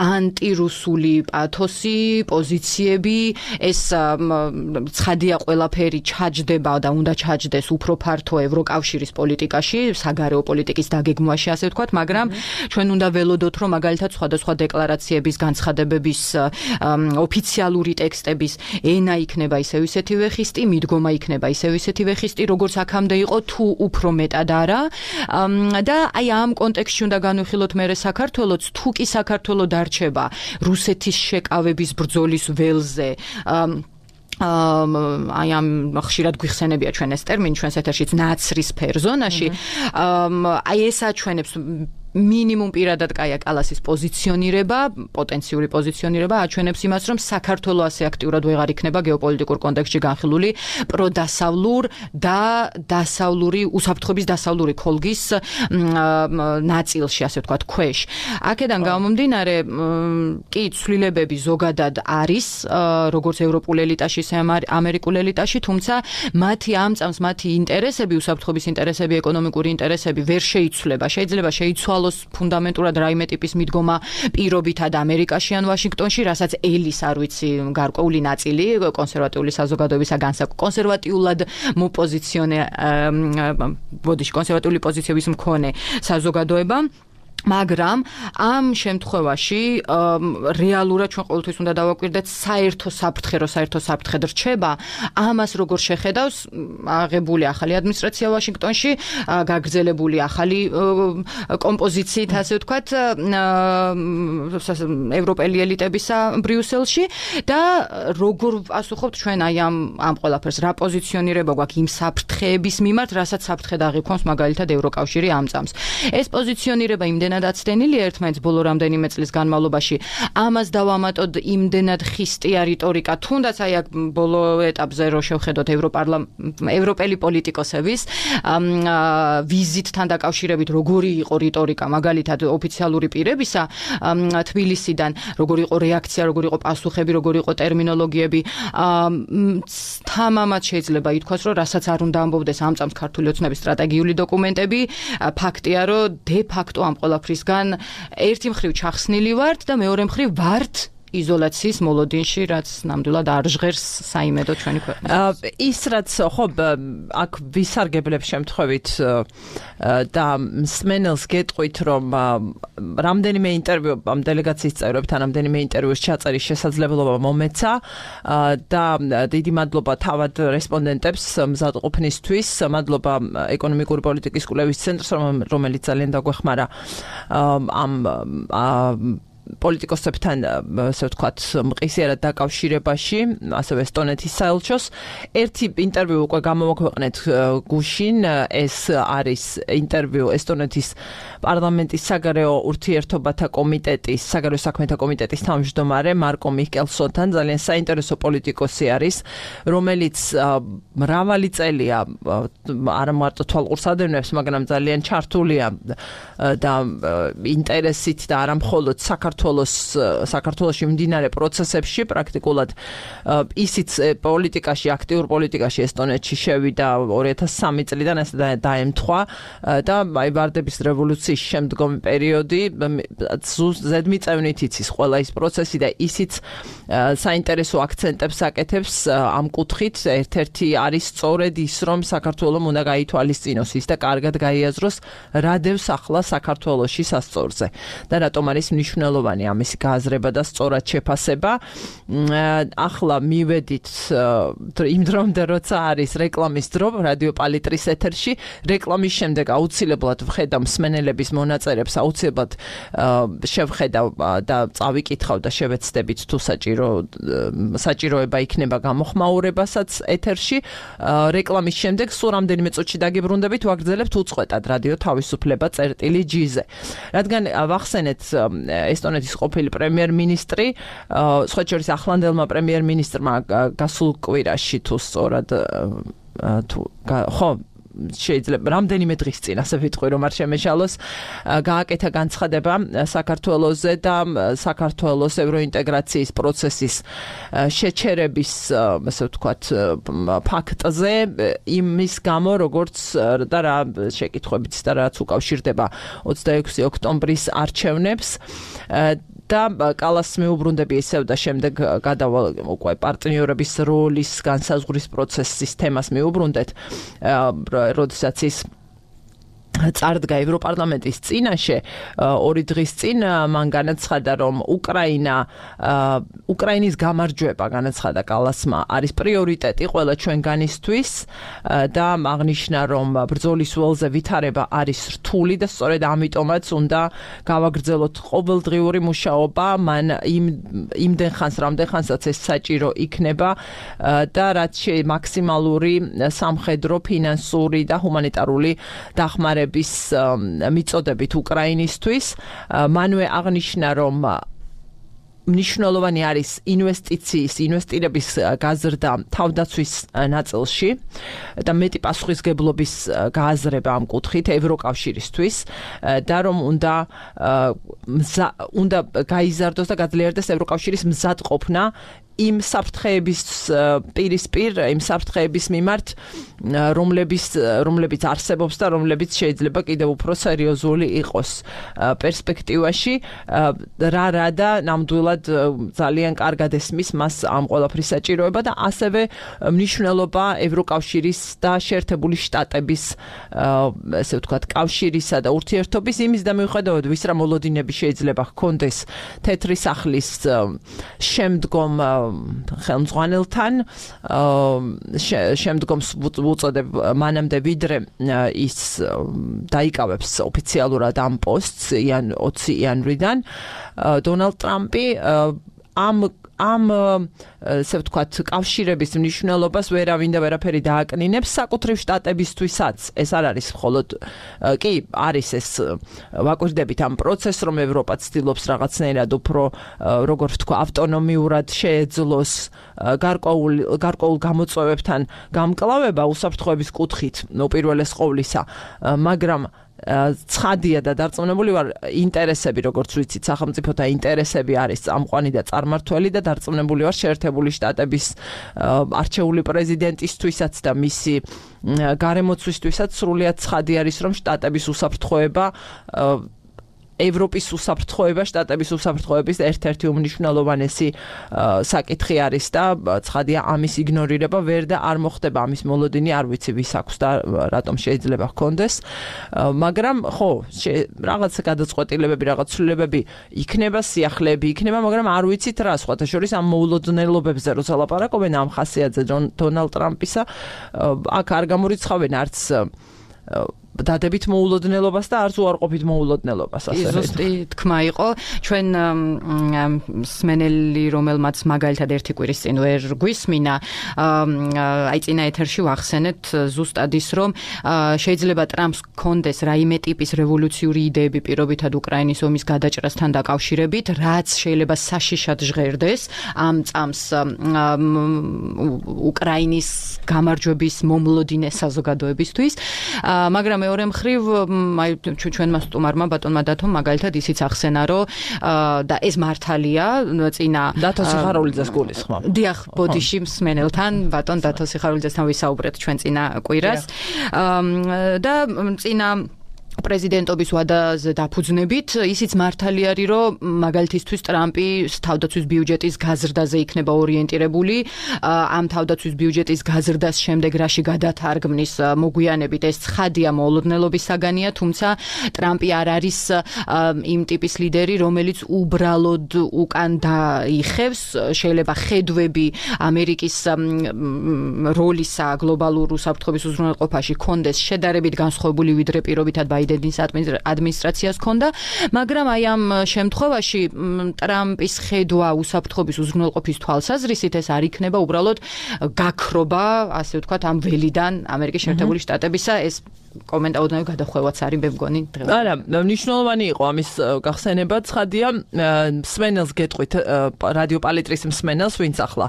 ანტირუსული პათოსი, პოზიციები, ეს ცხადია ყველაფერი ჩაჯდება და უნდა ჩაჯდეს უფრო ფართო ევროკავშირის პოლიტიკაში, საგარეო პოლიტიკის დაგეგმვაში, ასე ვთქვათ, მაგრამ ჩვენ უნდა ველოდოთ, რომ მაგალითად სხვადასხვა დეკლარაციების, განცხადებების, ოფიციალური ტექსტების ენა იქნება ისევ ისეთივე ხისტი, მიდგომა იქნება ისევ ისეთივე ხისტი, როგორც აქამდე იყო, თუ უფრო მეტად არა. და აი ამ კონტექსტში უნდა განვიხილოთ მერე საქართველოს, თუ კი საქართველო დარჩება რუსეთის შეკავების ბრძოლის ველზე, აი ამ ხშირად გვიხსენებია ჩვენ ეს ტერმინი ჩვენს ეთერშიც ნაცრისფერ ზონაში, აი ეს აჩვენებს მინიმუმ პირადად კაია კალასის პოზიციონირება, პოტენციური პოზიციონირება აჩვენებს იმას, რომ საქართველო ასე აქტიურად ვეღარ იქნება გეოპოლიტიკურ კონტექსტში განხილული პროდასავლურ და დასავლური უსაფრთხოების დასავლური ქოლგის ნაწილში, ასე ვთქვათ, ქვეშ. აქედან გამომდინარე, კი ცვლილებები ზოგადად არის, როგორც ევროპულ ელიტაში, ისე ამერიკულ ელიტაში, თუმცა მათი ამ წამს მათი ინტერესები, უსაფრთხოების ინტერესები, ეკონომიკური ინტერესები ვერ შეიცვლება. შეიძლება შეიცვალოს ფუნდამენტურად რაიმე ტიპის მიდგომა პირობითად ამერიკაში ან ვაშინგტონში, რასაც ელის არ ვიცი გარკვეული ნაწილი კონსერვატიული საზოგადოებისა განსაკუთრებით კონსერვატიულად მოპოზიციონე ბოდიში კონსერვატიული პოზიციების მქონე საზოგადოება, მაგრამ ამ შემთხვევაში რეალურად ჩვენ ყოველთვის უნდა დავაკვირდეთ საერთო საფრთხე, რო საერთო საფრთხე რჩება, ამას როგორ შეხედავს აღებული ახალი ადმინისტრაცია ვაშინგტონში, გაგრძელებული ახალი კომპოზიციით, ასე ვთქვათ, ევროპელი ელიტებისა ბრიუსელში და როგორ პასუხობთ ჩვენ აი ამ ამ ყველაფერს, რა პოზიციონირება გვაქვს იმ საფრთხეების მიმართ, რასაც საფრთხე დაღიქვამს მაგალითად ევროკავშირი ამ წამს. ეს პოზიციონირება იმდენ დაცდენილია ერთმანეთს ბოლო რამდენიმე წლის განმავლობაში. ამას დავამატოთ იმდენად ხისტია რიტორიკა, თუნდაც აი აქ ბოლო ეტაპზე რო შევხედოთ ევროპელი პოლიტიკოსების ვიზიტთან დაკავშირებით როგორი იყო რიტორიკა, მაგალითად ოფიციალური პირებისა თბილისიდან, როგორი იყო რეაქცია, როგორი იყო პასუხები, როგორი იყო ტერმინოლოგიები. თამამად შეიძლება ითქვას, რომ რასაც არ უნდა ამბობდეს ამ წამს ქართული ოცნების სტრატეგიული დოკუმენტები, ფაქტია, რომ დე ფაქტო ამ ყველაფრისგან ერთი მხრივ ჩახსნილი ვართ და მეორე მხრივ ვართ იზოლაციის მოლოდინში, რაც ნამდვილად არ ჟღერს საიმედო ჩვენი ქვეყნისთვის. ის რაც ხო აქ ვისარგებლებ შემთხვევით და მსმენელს გეტყვით, რომ რამდენიმე ინტერვიუ ამ დელეგაციის წევრებთან რამდენიმე ინტერვიუს ჩაწერის შესაძლებლობა მომეცა და დიდი მადლობა თავად რესპონდენტებს მზადყოფნისთვის, მადლობა ეკონომიკური პოლიტიკის კვლევის ცენტრს, რომელიც ძალიან დაგვეხმარა ამ პოლიტიკოსებთან ასე ვთქვათ მყისიერად დაკავშირებაში, ასევე ესტონეთის საელჩოს. ერთი ინტერვიუ უკვე გამოვაქვეყნეთ გუშინ, ეს არის ინტერვიუ ესტონეთის პარლამენტის საგარეო ურთიერთობათა კომიტეტის, საგარეო საქმეთა კომიტეტის თავმჯდომარე მარკო მიხკელსონთან, ძალიან საინტერესო პოლიტიკოსი არის, რომელიც მრავალი წელია არა მარტო თვალყურს ადევნებს, მაგრამ ძალიან ჩართულია და ინტერესით და არა მხოლოდ საქართველოს საქართველოში მიმდინარე პროცესებში, პრაქტიკულად ისიც პოლიტიკაში, აქტიურ პოლიტიკაში ესტონეთში შევიდა ორი ათას სამი წლიდან ეს დაემთხვა და აი ვარდების რევოლუციის შემდგომი პერიოდი ზედმიწევნით იცის ყველა ის პროცესი და ისიც საინტერესო აქცენტებს აკეთებს ამ კუთხით. ერთ-ერთი არის სწორედ ის, რომ საქართველოს უნდა გაითვალისწინოს ის და კარგად გაიაზროს რა დევს ახლა საქართველოში სასწორზე და რატომ არის მნიშვნელოვანი ამისი გააზრება და სწორად შეფასება. ახლა მივედით იმ დრომდე, როცა არის რეკლამის დრო რადიო პალიტრის ეთერში, რეკლამის შემდეგ აუცილებლად ვხედავ მსმენელების მონაწერებს, აუცილებლად შევხედავ და წავიკითხავ და შევეცდებით თუ საჭირო საჭიროება იქნება გამოხმაურებასაც ეთერში. რეკლამის შემდეგ სულ რამდენიმე წუთში დაგიბრუნდებით, ვაგრძელებთ უწყვეტად რადიო თავისუფლება წერტილი ჯი-ზე. რადგან ვახსენეთ ესტონეთის ყოფილი პრემიერ-მინისტრი, სხვა შორის ახლანდელმა პრემიერ-მინისტრმა გასულ კვირაში თუ სწორად თუ ხო შეიძლება რამდენიმე დღის წინ ასე ვიტყვი, რომ არ შემეშალოს, გააკეთა განცხადება საქართველოზე და საქართველოს ევროინტეგრაციის პროცესის შეჩერების, ასე ვთქვათ, ფაქტზე, იმის გამო, როგორც და რა შეკითხვებიც და რაც უკავშირდება ოცდაექვსი ოქტომბრის არჩევნებს და კალას მიუბრუნდები ისევ და შემდეგ გადავალ უკვე პარტნიორების როლის განსაზღვრის პროცესის თემას მიუბრუნდეთ, როდესაც ის წარდგა ევროპარლამენტის წინაშე ორი დღის წინ მან განაცხადა, რომ უკრაინა უკრაინის გამარჯვება განაცხადა კალასმა არის პრიორიტეტი ყველა ჩვენგანისთვის და აღნიშნა, რომ ბრძოლის ველზე ვითარება არის რთული და სწორედ ამიტომაც უნდა გავაგრძელოთ ყოველდღიური მუშაობა, მან იმ იმდენ ხანს, რამდენ ხანსაც ეს საჭირო იქნება და რაც მაქსიმალური სამხედრო, ფინანსური და ჰუმანიტარული დახმარება მიწოდებით უკრაინისთვის. მანვე აღნიშნა, რომ მნიშვნელოვანი არის ინვესტიციის, ინვესტირების გაზრდა თავდაცვის ნაწილში და მეტი პასუხისგებლობის გააზრება ამ კუთხით ევროკავშირისთვის და რომ უნდა უნდა გაიზარდოს და გაძლიერდეს ევროკავშირის მზადყოფნა იმ საფრთხეების პირისპირ, იმ საფრთხეების მიმართ, რომლებიც რომლებიც არსებობს და რომლებიც შეიძლება კიდევ უფრო სერიოზული იყოს პერსპექტივაში. რა რა და ნამდვილად ძალიან კარგად ესმის მას ამ ყველაფრის საჭიროება და ასევე მნიშვნელობა ევროკავშირის და შეერთებული შტატების ესე ვთქვათ კავშირისა და ურთიერთობის იმის და მიუხედავად ვის რა მოლოდინები შეიძლება ჰქონდეს თეთრი სახლის შემდგომ ხელმძღვანელთან შემდგომ უწოდებ მანამდე ვიდრე ის დაიკავებს ოფიციალურად ამ პოსტს ოცი იანვრიდან დონალდ ტრამპი ამ ამ ესე ვთქვათ კავშირების მნიშვნელობას ვერავინ და ვერაფერი დააკნინებს საკუთრივ შტატებისთვისაც. ეს არ არის მხოლოდ კი არის ეს ვაკვირდებით ამ პროცესს, რომ ევროპა ცდილობს რაღაცნაირად უფრო როგორ ვთქვა ავტონომიურად შეეძლოს გარკვეულ გარკვეულ გამოწვევებთან გამკლავება უსაფრთხოების კუთხით უპირველეს ყოვლისა, მაგრამ ცხადია და დარწმუნებული ვარ, ინტერესები, როგორც ვიცით, სახელმწიფოთა ინტერესები არის წამყვანი და წარმართველი და დარწმუნებული ვარ შეერთებული შტატების არჩეული პრეზიდენტისთვისაც და მისი გარემოცვისთვისაც სრულიად ცხადი არის, რომ შტატების უსაფრთხოება ევროპის უსაფრთხოება, შტატების უსაფრთხოების ერთ-ერთი უმნიშვნელოვანესი საკითხი არის და ცხადია ამის იგნორირება ვერ და არ მოხდება ამის მოლოდინი, არ ვიცი ვის აქვს და რატომ შეიძლება ჰქონდეს, მაგრამ ხო, რაღაც გადაწყვეტილებები, რაღაც ცვლილებები იქნება, სიახლეები იქნება, მაგრამ არ ვიცით რა, სხვათა შორის ამ მოულოდნელობებზე როცა ლაპარაკობენ ამ ხასიათზე დონალდ ტრამპისა, აქ არ გამორიცხავენ არც დადებით მოულოდნელობას და არც უარყოფით მოულოდნელობას ასე. ზუსტი თქმა იყო. ჩვენ სმენელი, რომელმაც მაგალითად ერთი კვირის წინ ვერ გვისმინა, აი წინა ეთერში ვახსენეთ ზუსტად ის, რომ შეიძლება ტრამპს კონდეს რაიმე ტიპის რევოლუციური იდეები პირობითად უკრაინის ომის გადაჭრასთან დაკავშირებით, რაც შეიძლება საშიშად ჟღერდეს ამ წამს უკრაინის გამარჯვების მომლოდინე საზოგადოებისთვის, მაგრამ მეორე მხრივ აი ჩვენმა სტუმარმა ბატონმა დათომ მაგალითად ისიც ახსენა, რომ და ეს მართალია წინა დათო სიხარულიძეს გულისხმობ. დიახ, ბოდიში მსმენელთან ბატონ დათო სიხარულიძესთან ვისაუბრეთ ჩვენ წინა კვირას და წინა პრეზიდენტობის ვადაზე დაფუძნებით, ისიც მართალი არის, რომ მაგალითისთვის ტრამპი თავდაცვის ბიუჯეტის გაზრდაზე იქნება ორიენტირებული, ამ თავდაცვის ბიუჯეტის გაზრდას შემდეგ რაში გადათარგმნის მოგვიანებით ეს ცხადია მოულოდნელობის საგანია, თუმცა ტრამპი არ არის იმ ტიპის ლიდერი, რომელიც უბრალოდ უკან დაიხევს, შეიძლება ხედვები ამერიკის როლისა გლობალურ უსაფრთხოების უზრუნველყოფაში კონდეს შედარებით განსხვავებული ვიდრე პირობითად ბაიდენის ადმინისტრაციას ჰქონდა, მაგრამ აი ამ შემთხვევაში ტრამპის ხედვა უსაფრთხოების უზრუნველყოფის თვალსაზრისით ეს არ იქნება უბრალოდ გაქრობა, ასე ვთქვათ, ამ ველიდან ამერიკის შეერთებული შტატებისა, ეს კომენტაოდნავი გადახვევაც არის, მე მგონი დღეს. არა, მნიშვნელოვანი იყო ამის გახსენება, ცხადია, მსმენელს გეტყვით, რადიო პალიტრის მსმენელს, ვინც ახლა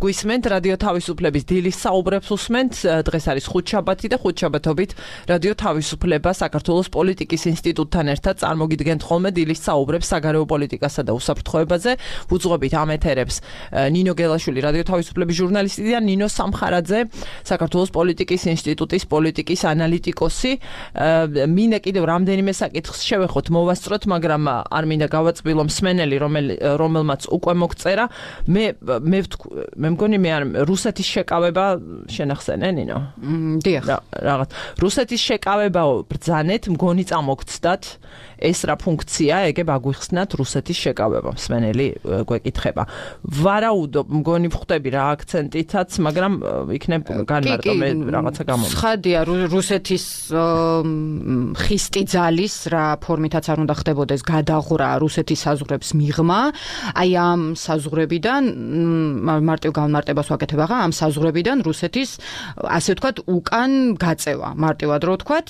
გვისმენთ, რადიო თავისუფლების დილის საუბრებს უსმენთ, დღეს არის ხუთშაბათი და ხუთშაბათობით რადიო თავისუფლება საქართველოს პოლიტიკის ინსტიტუტთან ერთად წარმოგიდგენთ ხოლმე დილის საუბრებს საგარეო პოლიტიკასა და უსაფრთხოებაზე. ვუძღვებით ამ ეთერებს ნინო გელაშვილი, რადიო თავისუფლების ჟურნალისტი და ნინო სამხარაძე, საქართველოს პოლიტიკის ინსტიტუტის პოლიტიკის ანალიტიკოსი. მინდა კიდევ რამდენიმე საკითხს შევეხოთ, მოვასწროთ, მაგრამ არ მინდა გავაწბილო მსმენელი, რომელმაც უკვე მოგწერა. მე მე მე მგონი მე არ რუსეთის შეკავება შენახსენე, ნინო? დიახ. რაღაც რუსეთის შეკავებაო ბრძანეთ, მგონი წამოგცდათ, ეს რა ფუნქცია, ეგებ აგვიხსნათ რუსეთის შეკავება, მსმენელი გვეკითხება. ვარაუდობ, მგონი ვხვდები რა აქცენტითაც, მაგრამ იქნებ განმარტო მე რაღაცა გამომდის. ცხადია, რუსეთის ხისტი ძალის რა ფორმითაც არ უნდა ხდებოდეს გადაღვრა რუსეთის საზღვრებს მიღმა, აი ამ საზღვრებიდან მარტივ განმარტებას ვაკეთებ ახლა, ამ საზღვრებიდან რუსეთის ასე ვთქვათ უკან გაწევა, მარტივად რო ვთქვათ,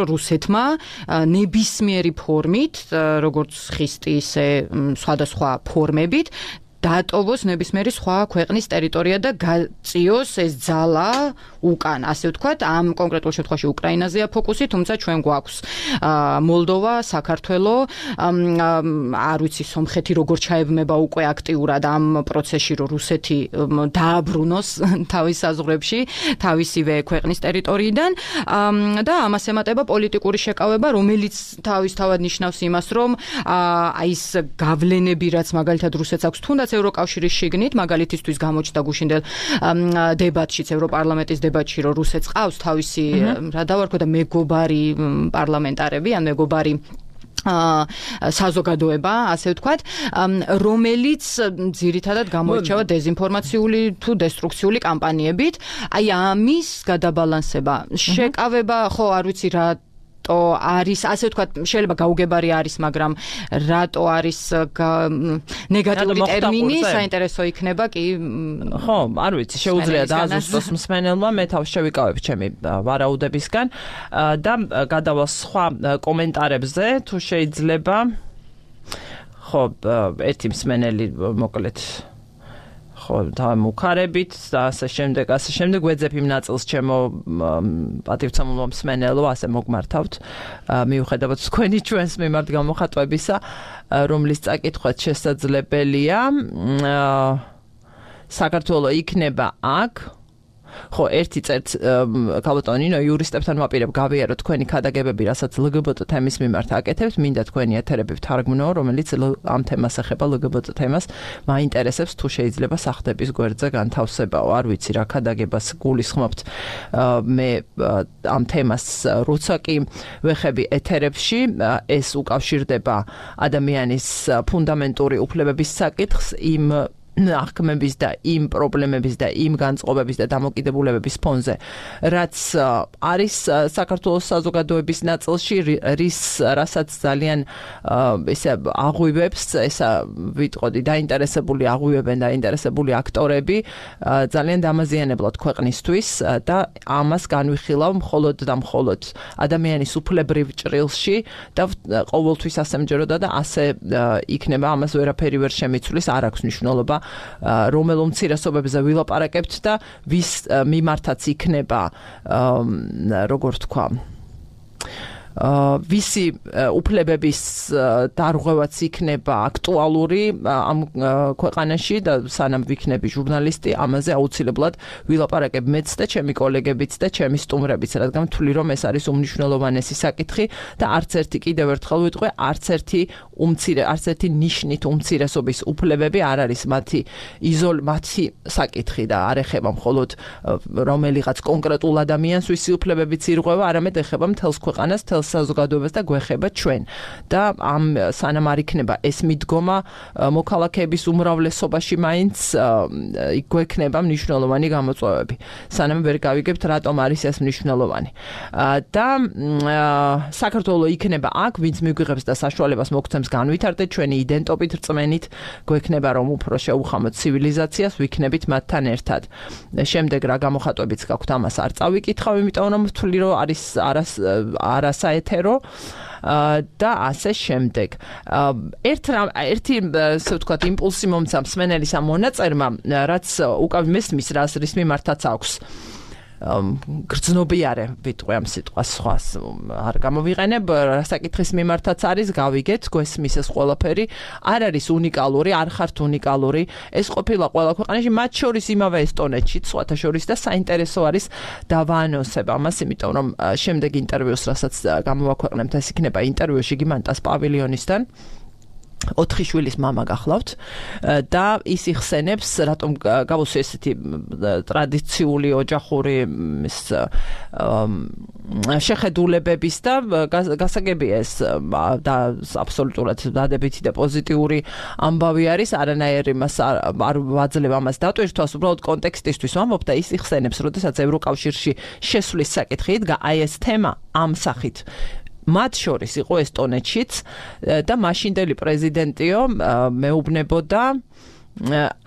რუსეთმა ნებისმიერი ფორმით, როგორც ხისტი, ისე სხვადასხვა ფორმებით დაატოვოს ნებისმიერი სხვა ქვეყნის ტერიტორია და გაწიოს ეს ძალა უკან, ასე ვთქვათ, ამ კონკრეტულ შემთხვევაში უკრაინაზეა ფოკუსი, თუმცა ჩვენ გვაქვს მოლდოვა, საქართველო, არ ვიცი, სომხეთი როგორ ჩაებმება უკვე აქტიურად ამ პროცესში, რომ რუსეთი დააბრუნოს თავის საზღვრებში, თავისივე ქვეყნის ტერიტორიიდან და ამას ემატება პოლიტიკური შეკავება, რომელიც თავისთავად ნიშნავს იმას, რომ აი ეს გავლენები, რაც მაგალითად რუსეთს აქვს, თუნდაც ევროკავშირის შიგნით, მაგალითისთვის გამოჩნდა გუშინდელ დებატშიც, ევროპარლამენტის დებატში, რომ რუსეთს ყავს თავისი, რა დავარქვა და მეგობარი პარლამენტარები, ან მეგობარი საზოგადოება, ასე ვთქვათ, რომელიც ძირითადად გამოირჩევა დეზინფორმაციული თუ დესტრუქციული კამპანიებით. აი ამის გადაბალანსება, შეკავება, ხო, არ ვიცი რა არის, ასე ვთქვათ, შეიძლება გაუგებარი არის, მაგრამ რატო არის ნეგატიური ტერმინი, საინტერესო იქნება კი. ხო, არ ვიცი, შეუძლია დააზუსტოს მსმენელმა, მე თავს შევიკავებ ჩემი ვარაუდებისგან და გადავალ სხვა კომენტარებზე, თუ შეიძლება. ხო, ერთი მსმენელი მოკლედ ხო, დამუქარებით და ასე შემდეგ, ასე შემდეგ ვეძებ იმ ნაწილს ჩემო პატივცემულო მსმენელო, ასე მოგმართავთ, მიუხედავად თქვენი ჩვენს მიმართ გამოხატვებისა, რომლის წაკითხვაც შესაძლებელია. საქართველო იქნება აქ. ხო, ერთი წერტ ქალბატონინო იურისტებთან ვაპირებ გავიაროთ თქვენი ქადაგებები, რასაც ლგბტ თემის მიმართ აკეთებთ, მინდა თქვენი ეთერები ვთარგმნო, რომელიც ამ თემას ეხება ლგბტ თემას, მაინტერესებს თუ შეიძლება სახდების გვერდზე განთავსებაო, არ ვიცი რა ქადაგებას გულისხმობთ მე ამ თემას, როცა კი ვეხები ეთერებში, ეს უკავშირდება ადამიანის ფუნდამენტური უფლებების საკითხს, იმ აღქმების და იმ პრობლემების და იმ განწყობების და დამოკიდებულებების ფონზე, რაც არის საქართველოს საზოგადოების ნაწილში, რის რასაც ძალიან ესე აღვივებს, ესა ვიტყოდი, დაინტერესებული აღვივებენ დაინტერესებული აქტორები, ძალიან დამაზიანებლად ქვეყნისთვის და ამას განვიხილავ მხოლოდ და მხოლოდ ადამიანის უფლებრივ ჭრილში და ყოველთვის ასე მჯეროდა და ასე იქნება, ამას ვერაფერი ვერ შემიცვლის, არ აქვს მნიშვნელობა რომელ უმცირესობებზე ვილაპარაკებთ და ვის მიმართაც იქნება როგორ თქვა ვისი უფლებების დარღვევაც იქნება აქტუალური ამ ქვეყანაში და სანამ ვიქნები ჟურნალისტი, ამაზე აუცილებლად ვილაპარაკებ მეც და ჩემი კოლეგებიც და ჩემი სტუმრებიც, რადგან ვთვლი რომ ეს არის უმნიშვნელოვანესი საკითხი და არც ერთი კიდევ ერთხელ ვიტყვე, არც ერთი უმცირე, არც ერთი ნიშნით უმცირესობის უფლებები არ არის მათი იზოლ მათი საკითხი და არ ეხება მხოლოდ რომელიღაც კონკრეტულ ადამიანს, ვისი უფლებებიც ირღვევა, არამედ ეხება მთელს ქვეყანას, მთელს საზოგადოებას და გვეხება ჩვენ და ამ სანამ არ იქნება ეს მიდგომა მოქალაქეების უმრავლესობაში მაინც გვექნება მნიშვნელოვანი გამოწვევები სანამ ვერ გავიგებთ რატომ არის ეს მნიშვნელოვანი და საქართველოს იქნება აქ ვინც მიგვიღებს და საშუალებას მოგცემს განვითარდეთ ჩვენი იდენტობით რწმენით გვექნება რომ უფრო შეუხამოთ ცივილიზაციას ვიქნებით მათთან ერთად შემდეგ რა გამოხატვებიც გაქვთ ამას არ წავიკითხავ იმიტომ რომ ვთვლი რომ არის არას არასა ეთერო და ასე შემდეგ. ერთ ერთი ასე ვთქვათ იმპულსი მომცა მსმენელის ამ მონაწერმა, რაც უკავ მესმის რას რის მიმართაც აქვს. გრძნობიარე ვიტყვი ამ სიტყვას სხვას არ გამოვიყენებ საკითხის მიმართაც არის გავიგეთ გვესმის ეს ყველაფერი არ არის უნიკალური არ ხართ უნიკალური ეს ყოფილა ყველა ქვეყანაში მათ შორის იმავე ესტონეთში სხვათა შორის და საინტერესო არის დავაანონსებ ამას იმიტომ რომ შემდეგ ინტერვიუს რასაც გამოვაქვეყნებთ ეს იქნება ინტერვიუ შიგიმანტას პავილიონისთან ოთხი შვილის მამა გახლავთ და ის იხსენებს რატომ გავუსვი ესეთი ტრადიციული ოჯახური შეხედულებების და გასაგებია ეს და აბსოლუტურად დადებითი და პოზიტიური ამბავი არის არანაირი მას არ ვაძლევ ამას დატვირთვას უბრალოდ კონტექსტისთვის ვამბობ და ის იხსენებს როდესაც ევროკავშირში შესვლის საკითხი იდგა აი ეს თემა ამ სახით მათ შორის იყო ესტონეთშიც და მაშინდელი პრეზიდენტიო მეუბნებოდა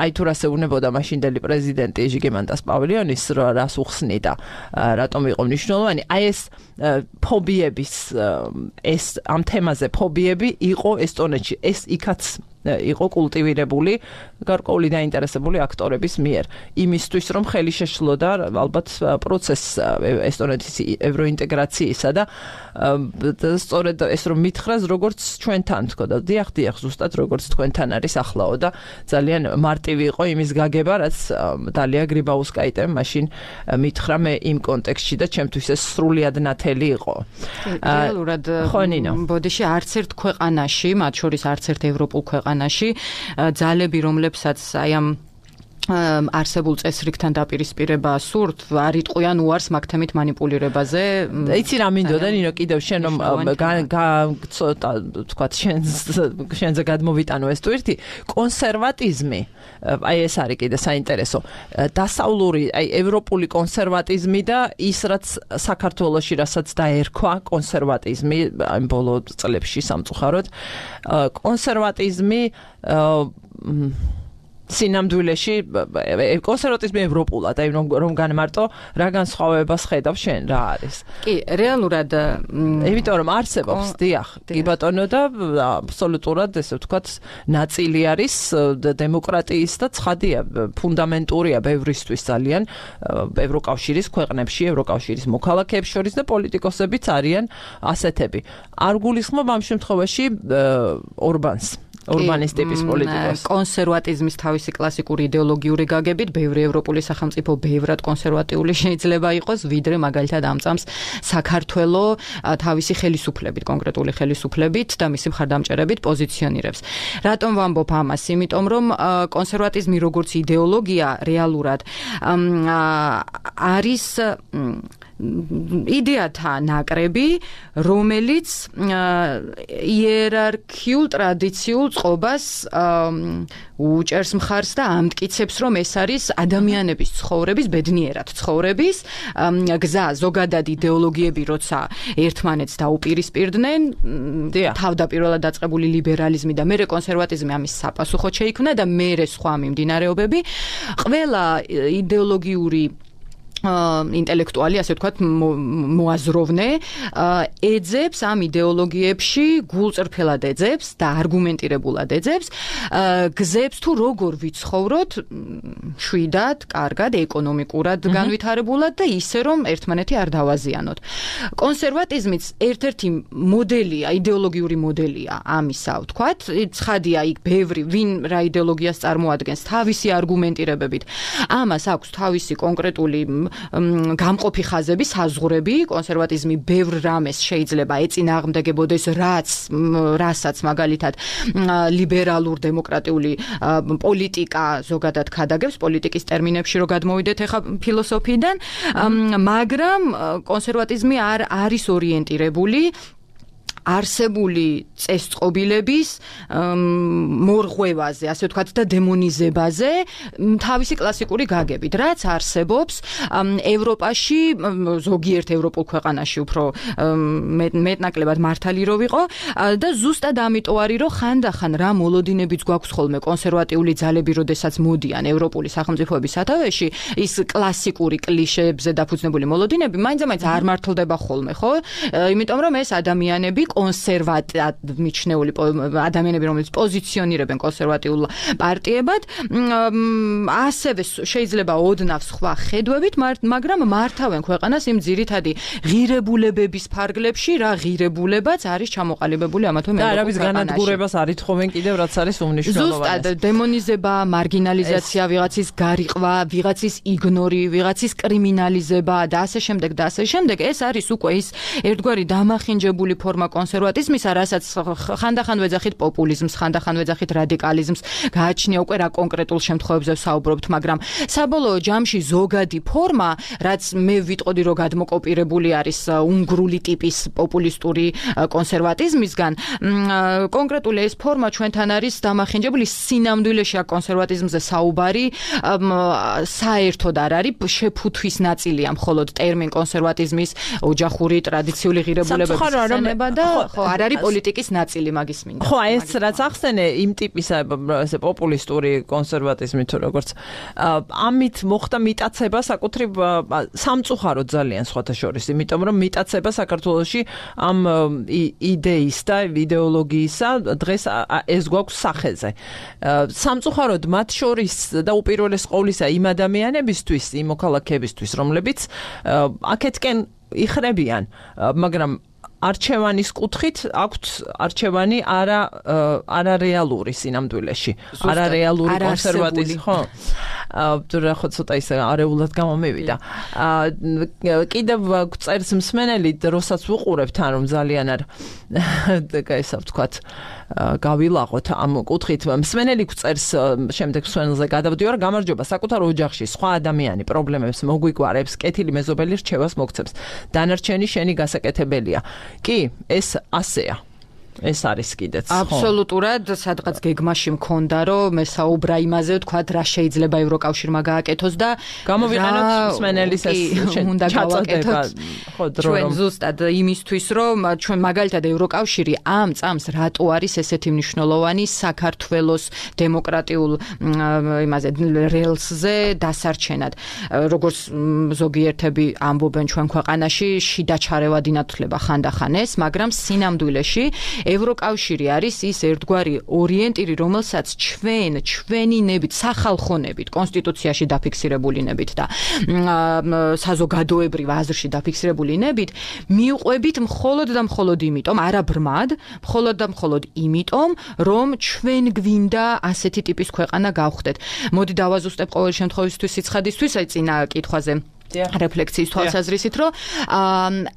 აი თუ რას ეუბნებოდა მაშინდელი პრეზიდენტი ჟიგიმანტას პავილიონის რას უხსნიდა რატომ იყო მნიშვნელოვანი აი ეს ფობიების ეს ამ თემაზე ფობიები იყო ესტონეთში ეს იქაც იყო კულტივირებული გარკვეული დაინტერესებული აქტორების მიერ იმისთვის რომ ხელი შეშლოდა ალბათ პროცესს ესტონეთის ევროინტეგრაციისა და სწორედ ეს რომ მითხრას როგორც ჩვენთან თქო და დიახ დიახ ზუსტად როგორც თქვენთან არის ახლაო და ძალიან მარტივი იყო იმის გაგება რაც დალია გრიბაუსკაიტემ მაშინ მითხრა მე იმ კონტექსტში და ჩემთვის ეს სრულიად ნათელი იყო რეალურად ბოდიში არც ერთ ქვეყანაში მათ შორის არც ერთ ევროპულ ქვეყანაში ძალები რომლებსაც აი ამ არსებულ წესრიგთან დაპირისპირება სურთ არ იტყვიან უარს მაგ თემით манипуლირებაზე იცი რა მინდოდა ნინო კიდევ შენ რომ გაცოტა თქვა შენზე გადმოვიტანო ეს თვირთი კონსერვატიზმი აი ეს არის კიდე საინტერესო დასავლური აი ევროპული კონსერვატიზმი და ის რაც საქართველოში რასაც დაერქვა კონსერვატიზმი აი ბოლო წლებში სამწუხაროდ კონსერვატიზმი სინამდვილეში კონსერვატიზმი ევროპულად, აი რომ რომ განმარტო, რა განსხვავებას ხედავ შენ, რა არის? კი, რეალურად იმიტომ რომ არსებობს, დიახ, კი ბატონო და აბსოლუტურად ესე ვთქვათ, ნაწილი არის დემოკრატიის და ცხადია, ფუნდამენტურია ბევრისთვის ძალიან ევროკავშირის ქვეყნებში, ევროკავშირის მოქალაქეებს შორის და პოლიტიკოსებიც არიან ასეთები. არ გულისხმობ ამ შემთხვევაში ორბანს. ორბანის ტიპის პოლიტიკოს. კონსერვატიზმის თავისი კლასიკური იდეოლოგიური გაგებით, ბევრი ევროპული სახელმწიფო ბევრად კონსერვატიული შეიძლება იყოს, ვიდრე მაგალითად ამწამს საქართველოს თავისი ხელისუფლებით, კონკრეტული ხელისუფლებით და მისი მხარდამჭერებით პოზიციონირებს. რატომ ვამბობ ამას? იმიტომ რომ კონსერვატიზმი როგორც იდეოლოგია რეალურად არის იდეათა ნაკრები, რომელიც იერარქიულ ტრადიციულ წყობას უჭერს მხარს და ამტკიცებს, რომ ეს არის ადამიანების ცხოვრების, ბედნიერად ცხოვრების გზა, ზოგადად იდეოლოგიები, როცა ერთმანეთს დაუპირისპირდნენ, თავდაპირველად დაწყებული ლიბერალიზმი და მერე კონსერვატიზმი ამის საპასუხოდ შეიქმნა და მერე სხვა მიმდინარეობები, ყველა იდეოლოგიური ინტელექტუალი, ასე ვთქვათ, მოაზროვნე ეძებს ამ იდეოლოგიებში, გულწრფელად ეძებს და არგუმენტირებულად ეძებს გზებს თუ როგორ ვიცხოვროთ შვიდად, კარგად, ეკონომიკურად განვითარებულად და ისე რომ ერთმანეთი არ დავაზიანოთ. კონსერვატიზმიც ერთ-ერთი მოდელია, იდეოლოგიური მოდელია ამისა, ვთქვათ, ცხადია იქ ბევრი ვინ რა იდეოლოგიას წარმოადგენს თავისი არგუმენტირებებით. ამას აქვს თავისი კონკრეტული გამყოფი ხაზები, საზღვრები, კონსერვატიზმი ბევრ რამეს შეიძლება ეწინააღმდეგებოდეს, რაც რასაც მაგალითად ლიბერალურ დემოკრატიული პოლიტიკა ზოგადად ქადაგებს, პოლიტიკის ტერმინებში რო გადმოვიდეთ ახლა ფილოსოფიიდან, მაგრამ კონსერვატიზმი არ არის ორიენტირებული არსებული წესწყობილების მორღვევაზე, ასე ვთქვათ და დემონიზებაზე, თავისი კლასიკური გაგებით, რაც არსებობს ევროპაში, ზოგიერთ ევროპულ ქვეყანაში უფრო მეტნაკლებად მართალი რო ვიყო და ზუსტად ამიტომ არის, რომ ხანდახან რა მოლოდინებიც გვაქვს ხოლმე კონსერვატიული ძალები, როდესაც მოდიან ევროპული სახელმწიფოების სათავეში, ის კლასიკური კლიშეებზე დაფუძნებული მოლოდინები მაინც-მაინც არ მართლდება ხოლმე, ხო? იმიტომ რომ ეს ადამიანები კონსერვატად მიჩნეული ადამიანები, რომელიც პოზიციონირებენ კონსერვატიულ პარტიებად, ასევე შეიძლება ოდნავ სხვა ხედვებით, მაგრამ მართავენ ქვეყანას იმ ძირითადი ღირებულებების ფარგლებში, რა ღირებულებაც არის ჩამოყალიბებული ამა თუ იმ ევროპულ ქვეყანაში. და რა განადგურებას არ ითხოვენ კიდევ, რაც არის უმნიშვნელოვანესი. ზუსტად დემონიზება, მარგინალიზაცია, ვიღაცის გარიყვა, ვიღაცის იგნორი, ვიღაცის კრიმინალიზება და ასე შემდეგ და ასე შემდეგ, ეს არის უკვე ის ერთგვარი დამახინჯებული ფორმა კონსერვატიზმისა, რასაც ხანდახან ვეძახით პოპულიზმს, ხანდახან ვეძახით რადიკალიზმს, გააჩნია უკვე რა კონკრეტულ შემთხვევებზე ვსაუბრობთ, მაგრამ საბოლოო ჯამში ზოგადი ფორმა, რაც მე ვიტყოდი, რომ გადმოკოპირებული არის უნგრული ტიპის პოპულისტური კონსერვატიზმისგან, კონკრეტული ეს ფორმა ჩვენთან არის დამახინჯებული, სინამდვილეში აქ კონსერვატიზმზე საუბარი საერთოდ არ არის, შეფუთვის ნაწილია მხოლოდ ტერმინ კონსერვატიზმის ოჯახური ტრადიციული ღირებულებების ხსენება და ხო, არ არის პოლიტიკის ნაწილი მაგის მინდა. ხო, ეს რაც ახსენე იმ ტიპის ესე პოპულისტური კონსერვატიზმი თუ როგორც ამით მოხდა მიტაცება საკუთრივ სამწუხაროდ ძალიან სხვათა შორის, იმიტომ რომ მიტაცება საქართველოში ამ იდეის და იდეოლოგიისა დღეს ეს გვაქვს სახეზე. სამწუხაროდ მათ შორის და უპირველეს ყოვლისა იმ ადამიანებისთვის, იმ მოქალაქეებისთვის, რომლებიც აქეთკენ იხრებიან, მაგრამ არჩევანის კუთხით აქვთ არჩევანი არა არარეალური სინამდვილეში, არარეალური კონსერვატიზმი, ხო? თუ რა ხო ცოტა ისე არეულად გამომივიდა. კიდევ წერს მსმენელი, როსაც ვუყურებთ, ან რომ ძალიან არ ესე ვთქვათ, გავილაღოთ ამ კუთხით. მსმენელი წერს შემდეგ მსმენელზე გადავდივარ, გამარჯობა, საკუთარ ოჯახში სხვა ადამიანი პრობლემებს მოგვიგვარებს, კეთილი მეზობელი რჩევას მოგცემს. დანარჩენი შენი გასაკეთებელია. კი, ეს ასეა. ეს არის კიდეც. აბსოლუტურად, სადღაც გეგმაში მქონდა, რომ მე საუბრა იმაზე, ვთქვათ, რა შეიძლება ევროკავშირმა გააკეთოს და გამოვიყენოთ მსმენელის ეს ჩაწოდება, ხო, დრო რომ ზუსტად იმისთვის, რომ ჩვენ მაგალითად ევროკავშირი ამ წამს რატო არის ესეთი მნიშვნელოვანი საქართველოს დემოკრატიულ იმაზე რელსზე დასარჩენად. როგორც ზოგიერთები ამბობენ ჩვენ ქვეყანაში, შიდა ჩარევად ინათლება ხანდახან ეს, მაგრამ სინამდვილეში ევროკავშირი არის ის ერთგვარი ორიენტირი, რომელსაც ჩვენ, ჩვენი ნებით, სახალხონებით, კონსტიტუციაში დაფიქსირებული ნებით და საზოგადოებრივ აზრში დაფიქსირებული ნებით, მიუყვებით მხოლოდ და მხოლოდ იმიტომ, არა ბრმად, მხოლოდ და მხოლოდ იმიტომ, რომ ჩვენ გვინდა ასეთი ტიპის ქვეყანა გავხდეთ. მოდი დავაზუსტებ ყოველ შემთხვევისთვის სიცხადისთვის, აი წინა კითხვაზე რეფლექსიის თვალსაზრისით, რომ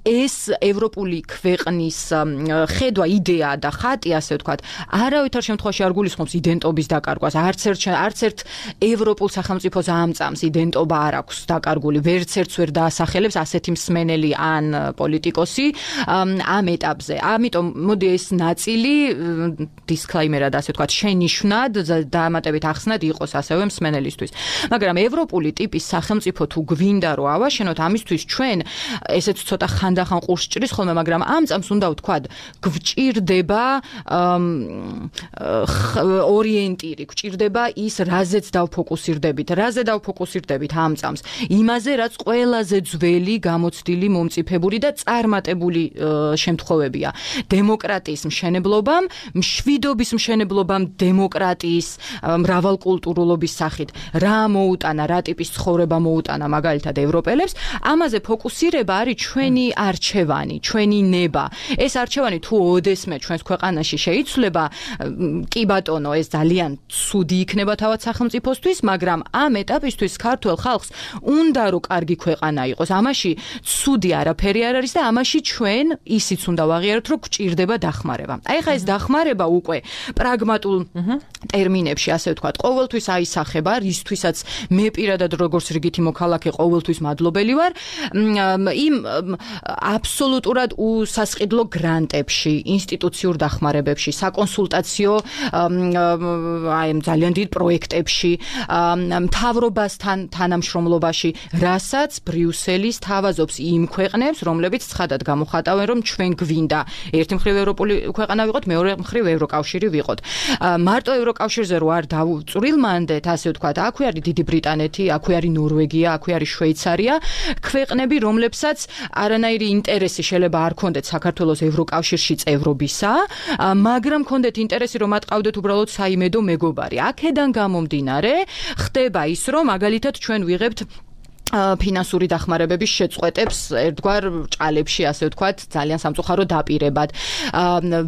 ეს ევროპული ქვეყნის ხედვა, იდეა და ხატი, ასე ვთქვათ, არავითარ შემთხვევაში არ გულისხმობს იდენტობის დაკარგვას. არც ერთ არც ერთ ევროპულ სახელმწიფოს ამწამს იდენტობა არ აქვს დაკარგული, ვერც ერთს ვერ დაასახელებს ასეთი მსმენელი ან პოლიტიკოსი ამ ეტაპზე. ამიტომ მოდი ეს ნაწილი დისკლეიმერად, ასე ვთქვათ, შენიშვნად დამატებით ახსნად იყოს ასევე მსმენელისთვის. მაგრამ ევროპული ტიპის სახელმწიფო თუ გვინდა რომ ავაშენოთ, ამისთვის ჩვენ ესეც ცოტა ხანდახან ყურს ჭრის ხოლმე, მაგრამ ამ წამს უნდა ვთქვათ, გვჭირდება ორიენტირი, გვჭირდება ის, რაზეც დავფოკუსირდებით, რაზე დავფოკუსირდებით ამ წამს, იმაზე, რაც ყველაზე ძველი, გამოცდილი, მომწიფებული და წარმატებული შემთხვევებია. დემოკრატიის მშენებლობამ, მშვიდობის მშენებლობამ, დემოკრატიის მრავალკულტურულობის სახით რა მოუტანა, რა ტიპის ცხოვრება მოუტანა მაგალითად ევროპელებს, ამაზე ფოკუსირება არის ჩვენი არჩევანი, ჩვენი ნება. ეს არჩევანი თუ ოდესმე ჩვენს ქვეყანაში შეიცვლება, კი ბატონო, ეს ძალიან ცუდი იქნება თავად სახელმწიფოსთვის, მაგრამ ამ ეტაპისთვის ქართულ ხალხს უნდა რომ კარგი ქვეყანა იყოს. ამაში ცუდი არაფერი არ არის და ამაში ჩვენ ისიც უნდა ვაღიაროთ, რომ გვჭირდება დახმარება. აი ხა ეს დახმარება უკვე პრაგმატულ ტერმინებში, ასე ვთქვათ, ყოველთვის აისახება, რისთვისაც მე პირადად როგორც რიგითი მოქალაქე ყოველთვის მადლობელი ვარ, იმ აბსოლუტურად უსასყიდლო გრანტებში, ინსტიტუციურ დახმარებებში, საკონსულტაციო აი ძალიან დიდ პროექტებში, მთავრობასთან თანამშრომლობაში, რასაც ბრიუსელის თავაზობს იმ ქვეყნებს, რომლებიც ცხადად გამოხატავენ, რომ ჩვენ გვინდა ერთი მხრივ ევროპული ქვეყანა ვიყოთ, მეორე მხრივ ევროკავშირი ვიყოთ. მარტო ევროკავშირზე რო არ დავწვრილმანდეთ, ასე ვთქვათ, აქვე არის დიდი ბრიტანეთი, აქვე არის ნორვეგია, აქვე არის შვეიცარია, ქვეყნები, რომლებსაც არანაირი ინტერესი შეიძლება არ ქონდეთ საქართველოს ევროკავშირში წევრობისა, მაგრამ ქონდეთ ინტერესი, რომ ატყავდეთ უბრალოდ საიმედო მეგობარი. აქედან გამომდინარე, ხდება ის, რომ მაგალითად ჩვენ ვიღებთ ფინანსური დახმარებების შეწყვეტებს ერთგვარ ჭალებში, ასე ვთქვათ, ძალიან სამწუხარო დაპირებად,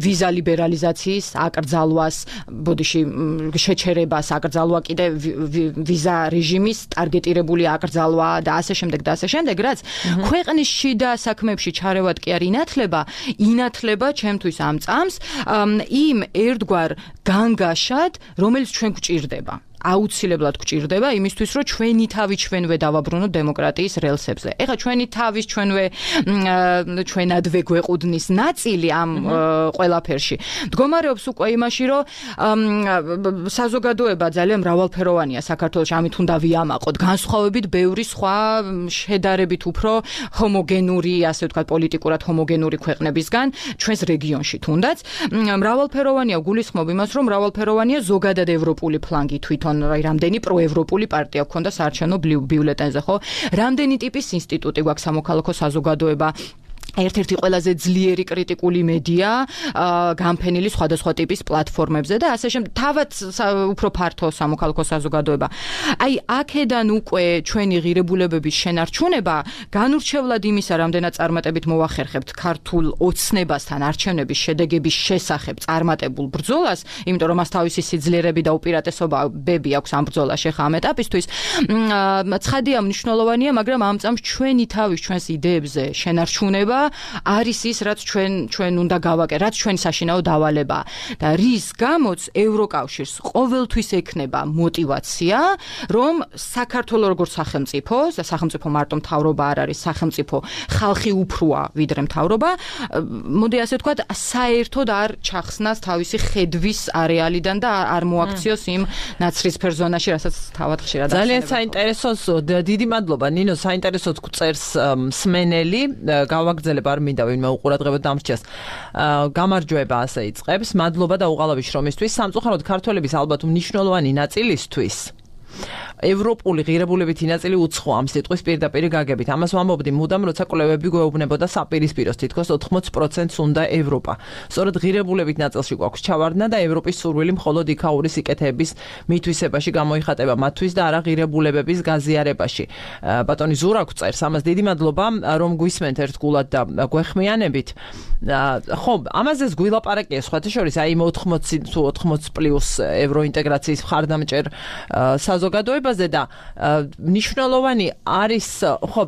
ვიზა ლიბერალიზაციის აკრძალვას, ბოდიში შეჩერებას აკრძალვა, კიდე ვიზა რეჟიმის ტარგეტირებული აკრძალვა და ასე შემდეგ და ასე შემდეგ, რაც ქვეყნის შიდა საქმეებში ჩარევად კი არ ინათლება, ინათლება ჩემთვის ამ წამს იმ ერთგვარ განგაშად, რომელიც ჩვენ გვჭირდება. აუცილებლად გვჭირდება იმისთვის, რომ ჩვენი თავი ჩვენვე დავაბრუნოთ დემოკრატიის რელსებზე. ეხლა ჩვენი თავის ჩვენვე ჩვენადვე გვეყუდნის ნაწილი ამ ყველაფერში მდგომარეობს უკვე იმაში, რომ საზოგადოება ძალიან მრავალფეროვანია საქართველოში, ამით უნდა ვიამაყოთ, განსხვავებით ბევრი სხვა შედარებით უფრო ჰომოგენური, ასე ვთქვათ, პოლიტიკურად ჰომოგენური ქვეყნებისგან ჩვენს რეგიონში თუნდაც. მრავალფეროვანია, გულისხმობ იმას, რომ მრავალფეროვანია ზოგადად ევროპული ფლანგი თვითონ აი რამდენი პროევროპული პარტია გქონდა საარჩევნო ბიულეტენზე, ხო? რამდენი ტიპის ინსტიტუტი გვაქვს, სამოქალაქო საზოგადოება, ერთ-ერთი ყველაზე ძლიერი კრიტიკული მედია, გამფენილი სხვადასხვა ტიპის პლატფორმებზე და ასე შემდეგ, თავად უფრო ფართო სამოქალაქო საზოგადოება. აი, აქედან უკვე ჩვენი ღირებულებების შენარჩუნება განურჩევლად იმისა, რამდენად წარმატებით მოვახერხებთ ქართულ ოცნებასთან არჩევნების შედეგების შესახებ წარმატებულ ბრძოლას, იმიტომ რომ მას თავისი სიძლიერები და უპირატესობები აქვს ამ ბრძოლაში ხა ამ ეტაპისთვის. ცხადია, მნიშვნელოვანია, მაგრამ ამ წამს ჩვენი თავის ჩვენს იდეებზე შენარჩუნება არის ის, რაც ჩვენ ჩვენ უნდა გავაკეთოთ, რაც ჩვენი საშინაო დავალება და რის გამოც ევროკავშირს ყოველთვის ექნება мотиваცია, რომ საქართველოს როგორც სახელმწიფო, და სახელმწიფო მარტო მთავრობა არ არის, სახელმწიფო ხალხი უფროა ვიდრე მთავრობა, მოდი ასე ვთქვათ, საერთოდ არ ჩახსნას თავისი ხედვის არეალიდან და არ მოაქციოს იმ ნაცრისფერ ზონაში, რასაც თავად ხშირად ახსენებთ. ძალიან საინტერესო, დიდი მადლობა ნინო, საინტერესო წერს მსმენელი, გავაგზავნე არ მინდა ვინმე უყურადღებოდ დამრჩეს. გამარჯვება ასე იწყებს. მადლობა და უღალავი შრომისთვის. სამწუხაროდ ქართველების ალბათ მნიშვნელოვანი ნაწილისთვის ევროპული ღირებულებითი ნაწილი უცხო ამ სიტყვის პირდაპირ გაგებით. ამას ვამბობდი მუდამ, როცა კვლევები გვეუბნებოდა საპირისპიროს, თითქოს ოთხმოცი პროცენტს უნდა ევროპა. სწორედ ღირებულებით ნაწილში გვაქვს ჩავარდნა და ევროპის სურვილი მხოლოდ იქაური სიკეთეების მითვისებაში გამოიხატება მათთვის და არა ღირებულებების გაზიარებაში. ბატონი ზურაკ წერს, ამას დიდი მადლობა, რომ გვისმენთ ერთგულად და გვეხმიანებით. ხო, ამაზეც გვილაპარაკია სხვათა შორის, აი ოთხმოცი თუ ოთხმოცი პლუს ევროინტეგრაციის მხარდამჭერ საზოგადოებაზე და მნიშვნელოვანი არის ხო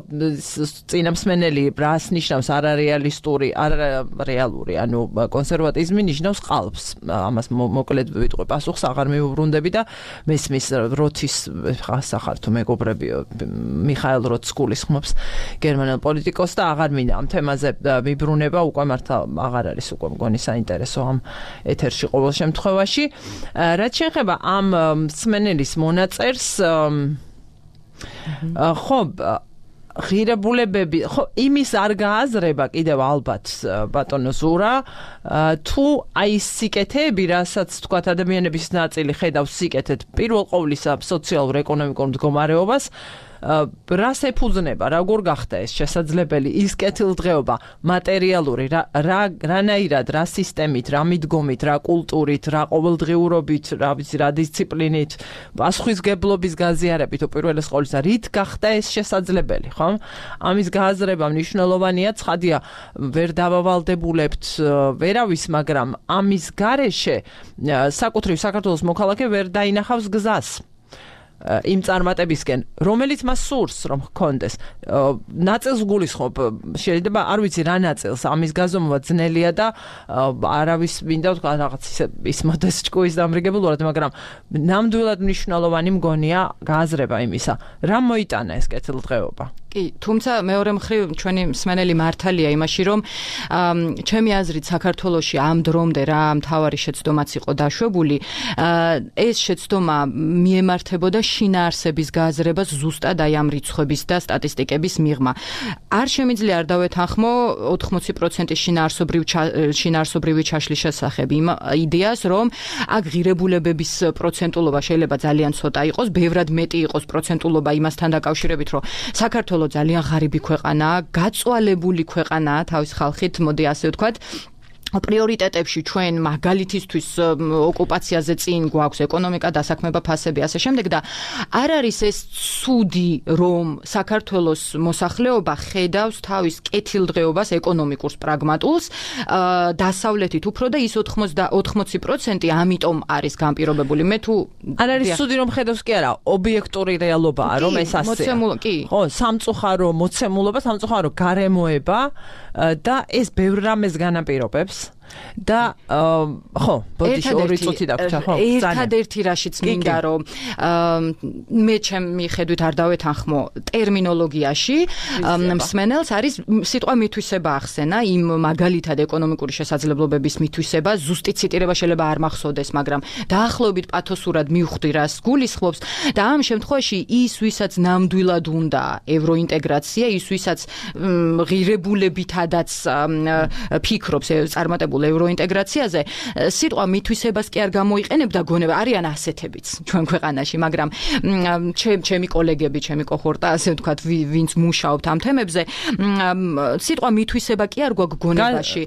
წინამსმენელი რას ნიშნავს არარეალისტური, არარეალური, ანუ კონსერვატიზმი ნიშნავს ყალბს. ამას მოკლედ ვიტყვი პასუხს აღარ მიუბრუნდები და მესმის როთის ხასახარ თუ მეგობრები მიხაილ როთს გულისხმობს გერმანელ პოლიტიკოს და აღარ მინდა ამ თემაზე მიბრუნება, უკვე მართლა აღარ არის უკვე მგონი საინტერესო ამ ეთერში ყოველ შემთხვევაში. რაც შეეხება ამ მსმენელის მონაწერს, ხო ღირებულებები, ხო იმის არ გააზრება კიდევ ალბათ ბატონო ზურა, თუ აი სიკეთეები, რასაც თქვათ ადამიანების ნაწილი ხედავს სიკეთეთ პირველ ყოვლისა სოციალურ ეკონომიკურ მდგომარეობას, რას ეფუძნება, როგორ გახდა ეს შესაძლებელი ის კეთილდღეობა მატერიალური, რა რანაირად, რა სისტემით, რა მიდგომით, რა კულტურით, რა ყოველდღიურობით, რა ვიცი, რა დისციპლინით, პასუხისგებლობის გაზიარებით უპირველეს ყოვლისა, რით გახდა ეს შესაძლებელი, ხო? ამის გააზრება მნიშვნელოვანია, ცხადია, ვერ დავავალდებულებთ ვერავის, მაგრამ ამის გარეშე საკუთრივ საქართველოს მოქალაქე ვერ დაინახავს გზას იმ წარმატებისკენ, რომელიც მას სურს რომ ჰქონდეს. ნაწილს გულისხმობ, შეიძლება არ ვიცი რა ნაწილს, ამის გაზომვა ძნელია და არავის მინდა თქვა რაღაც ის მოდეს ჭკუის დამრიგებულად, მაგრამ ნამდვილად მნიშვნელოვანი მგონია გააზრება იმისა, რა მოიტანა ეს კეთილდღეობა. კი, თუმცა მეორე მხრივ ჩვენი მსმენელი მართალია იმაში, რომ ჩემი აზრით საქართველოში ამ დრომდე რა მთავარი შეცდომაც იყო დაშვებული, ეს შეცდომა მიემართებოდა შინაარსების გააზრებას ზუსტად აი ამ რიცხვების და სტატისტიკების მიღმა. არ შემიძლია არ დავეთანხმო ოთხმოცი პროცენტი შინაარსობრივ შინაარსობრივი ჩაშლის შესახებ იმ იდეას, რომ აქ ღირებულებების პროცენტულობა შეიძლება ძალიან ცოტა იყოს, ბევრად მეტი იყოს პროცენტულობა იმასთან დაკავშირებით, რომ საქართველოს ძალიან ღარიბი ქვეყანაა, გაწვალებული ქვეყანაა თავის ხალხით, მოდი ასე ვთქვათ. პრიორიტეტებში ჩვენ მაგალითისთვის ოკუპაციაზე წინ გვაქვს ეკონომიკა, დასაქმება, ფასები, ასე შემდეგ და არ არის ეს ცუდი, რომ საქართველოს მოსახლეობა ხედავს თავის კეთილდღეობას ეკონომიკურს, პრაგმატულს, დასავლეთით უფრო და ის ოთხმოცი პროცენტი ამიტომ არის განპირობებული. მე თუ არ არის ცუდი რომ ხედავს კი არა, ობიექტური რეალობაა, რომ ეს ასეა. ხო, სამწუხარო მოცემულობა, სამწუხარო გარემოება და ეს ბევრ რამეს განაპირობებს. და ხო, ბოდიში ორი წუთი დაგვრჩა, ხო? ერთადერთი რაშიც მინდა რომ მე ჩემი ხედვით არ დავეთანხმო ტერმინოლოგიაში, მსმენელს არის სიტყვა მითვისება ახსენა, იმ მაგალითად ეკონომიკური შესაძლებლობების მითვისება, ზუსტი ციტირება შეიძლება არ მახსოვდეს, მაგრამ დაახლოებით პათოსურად მივხვდი რას გულისხმობს და ამ შემთხვევაში ის, ვისაც ნამდვილად უნდა ევროინტეგრაცია, ის ვისაც ღირებულებითადაც ფიქრობს წარმატებულ ევროინტეგრაციაზე, სიტყვა მითვისებას კი არ გამოიყენებდა გონება, არიან ასეთებიც ჩვენ ქვეყანაში, მაგრამ ჩემი კოლეგები, ჩემი კოჰორტა, ასე ვთქვათ, ვინც მუშაობთ ამ თემებზე, სიტყვა მითვისება კი არ გვაქვს გონებაში.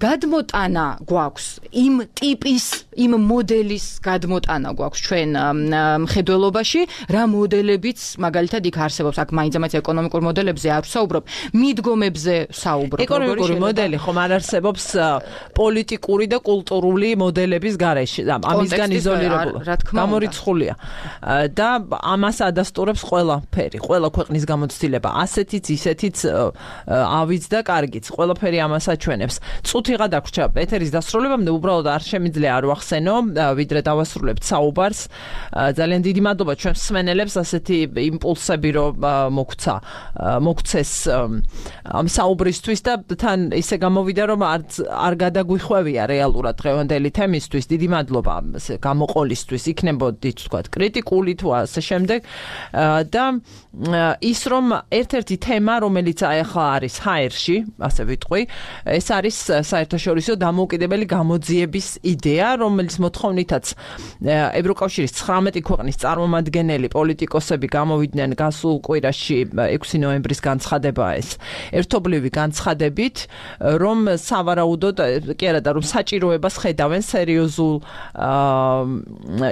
გადმოტანა გვაქვს იმ ტიპის, იმ მოდელის გადმოტანა გვაქვს ჩვენ მხედველობაში, რა მოდელებიც მაგალითად იქ არსებობს, აქ მაინც-მაინც ეკონომიკურ მოდელებზე არ ვსაუბრობ, მიდგომებზე ვსაუბრობ. ეკონომიკური მოდელი ხომ არ არსებობს პოლიტიკური და კულტურული მოდელების გარეშე, ამისგან იზოლირებული. გამორიცხულია. და ამას ადასტურებს ყველაფერი, ყველა ქვეყნის გამოცდილება, ასეთიც, ისეთიც, ავიც და კარგიც, ყველაფერი ამას აჩვენებს. წუთი გადაგვრჩა ეთერის დასრულებამდე, უბრალოდ არ შემიძლია არ ვახსენო, ვიდრე დავასრულებთ საუბარს. ძალიან დიდი მადლობა ჩვენ მსმენელებს ასეთი იმპულსები რომ მოგცა, მოგცეს ამ საუბრისთვის და თან ისე გამოვიდა რომ არ არ გადაგვიხვევია რეალურად დღევანდელი თემისთვის. დიდი მადლობა გამოყოლისთვის, იქნებოდით თქვათ კრიტიკული თუ ასე შემდეგ და ის რომ ერთ-ერთი თემა რომელიც ახლა არის ჰაერში, ასე ვიტყვი, ეს არის საერთაშორისო დამოუკიდებელი გამოძიების იდეა, რომელიც მოთხოვნითაც ევროკავშირის ცხრამეტი ქვეყნის წარმომადგენელი პოლიტიკოსები გამოვიდნენ გასულ კვირაში ექვსი ნოემბრის განცხადება ეს ერთობლივი განცხადებით, რომ სავარაუდოდ კი არა და რომ საჭიროებას ხედავენ სერიოზულ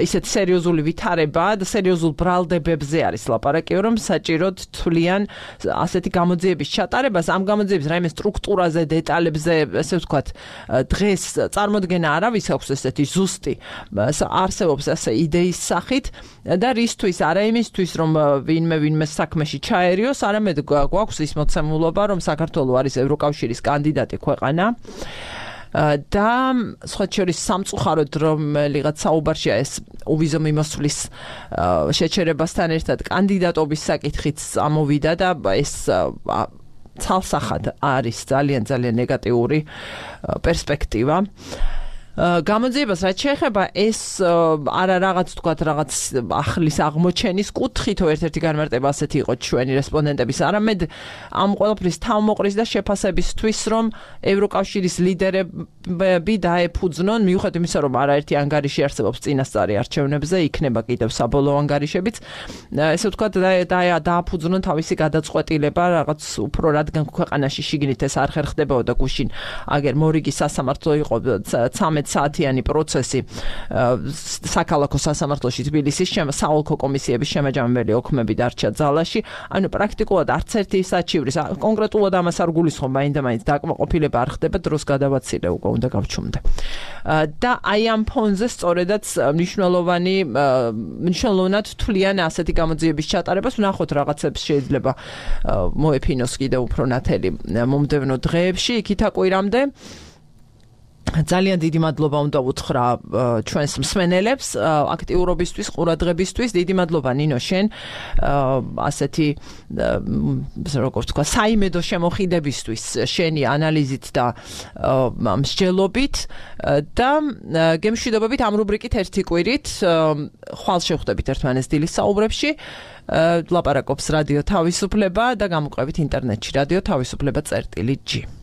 ისეთ სერიოზული ვითარება და სერიოზულ ბრალდებებზე არის ლაპარაკი, რომ საჭიროდ თვლიან ასეთი გამოძიების ჩატარებას, ამ გამოძიების რაიმე სტრუქტურაზე, დეტალებზე, ესე ვთქვათ, დღეს წარმოდგენა არავის აქვს ესეთი ზუსტი არსებობს ასე იდეის სახით და რისთვის არა იმისთვის რომ ვინმე ვინმე საქმეში ჩაერიოს, არამედ გვაქვს ის მოცემულობა რომ საქართველო არის ევროკავშირის კანდიდატი ქვეყანა და სხვა შორის სამწუხაროდ რომელიღაც საუბარშია ეს უვიზო მიმოსვლის შეჩერებასთან ერთად კანდიდატობის საკითხიც ამოვიდა და ეს ცალსახად არის ძალიან ძალიან ნეგატიური პერსპექტივა. გამოძიებას რაც შეეხება ეს არა რაღაც თქვათ რაღაც ახლის აღმოჩენის კუთხით ერთ-ერთი განმარტება ასეთი იყო ჩვენი რესპონდენტების არამედ ამ ყველაფრის თავმოყრის და შეფასებისთვის რომ ევროკავშირის ლიდერები დაეფუძნონ მიუხედავად იმისა რომ არაერთი ანგარიში არსებობს წინასწარი არჩევნებზე იქნება კიდევ საბოლოო ანგარიშებიც ესე ვთქვათ დააფუძნონ თავისი გადაწყვეტილება რაღაც უფრო რადგან ქვეყანაში შიგნით ეს არ ხერხდებოდა გუშინ აგერ მორიგი სასამართლო იყო ცამეტ საათიანი პროცესი საქალაქო სასამართლოში თბილისის საოლქო კომისიების შემაჯამებელი ოქმები დარჩა ძალაში, ანუ პრაქტიკულად არც ერთი საჩივრის კონკრეტულად ამას არ გულისხმობ, მაინდა-მაინც დაკმაყოფილება არ ხდება, დროს გადავაცილე უკვე უნდა გავჩუმდე. და აი ამ ფონზე სწორედაც მნიშვნელოვანი მნიშვნელოვნად თვლიან ასეთი გამოძიების ჩატარებას, ვნახოთ რაღაცებს შეიძლება მოეფინოს კიდევ უფრო ნათელი მომდევნო დღეებში, იქით აკვირამდე ძალიან დიდი მადლობა უნდა ვუთხრა ჩვენს მსმენელებს აქტიურობისთვის, ყურადღებისთვის. დიდი მადლობა ნინო შენ ასეთი როგორ ვთქვა, საიმედო შემოხიდებისთვის, შენი ანალიზით და მსჯელობით და გემშვიდობებით ამ რუბრიკით ერთი კვირით ხვალ შევხვდებით ერთმანეთს დილის საუბრებში. ლაპარაკობს რადიო თავისუფლება და გამოყვებით ინტერნეტში რადიო თავისუფლება წერტილი ჯი.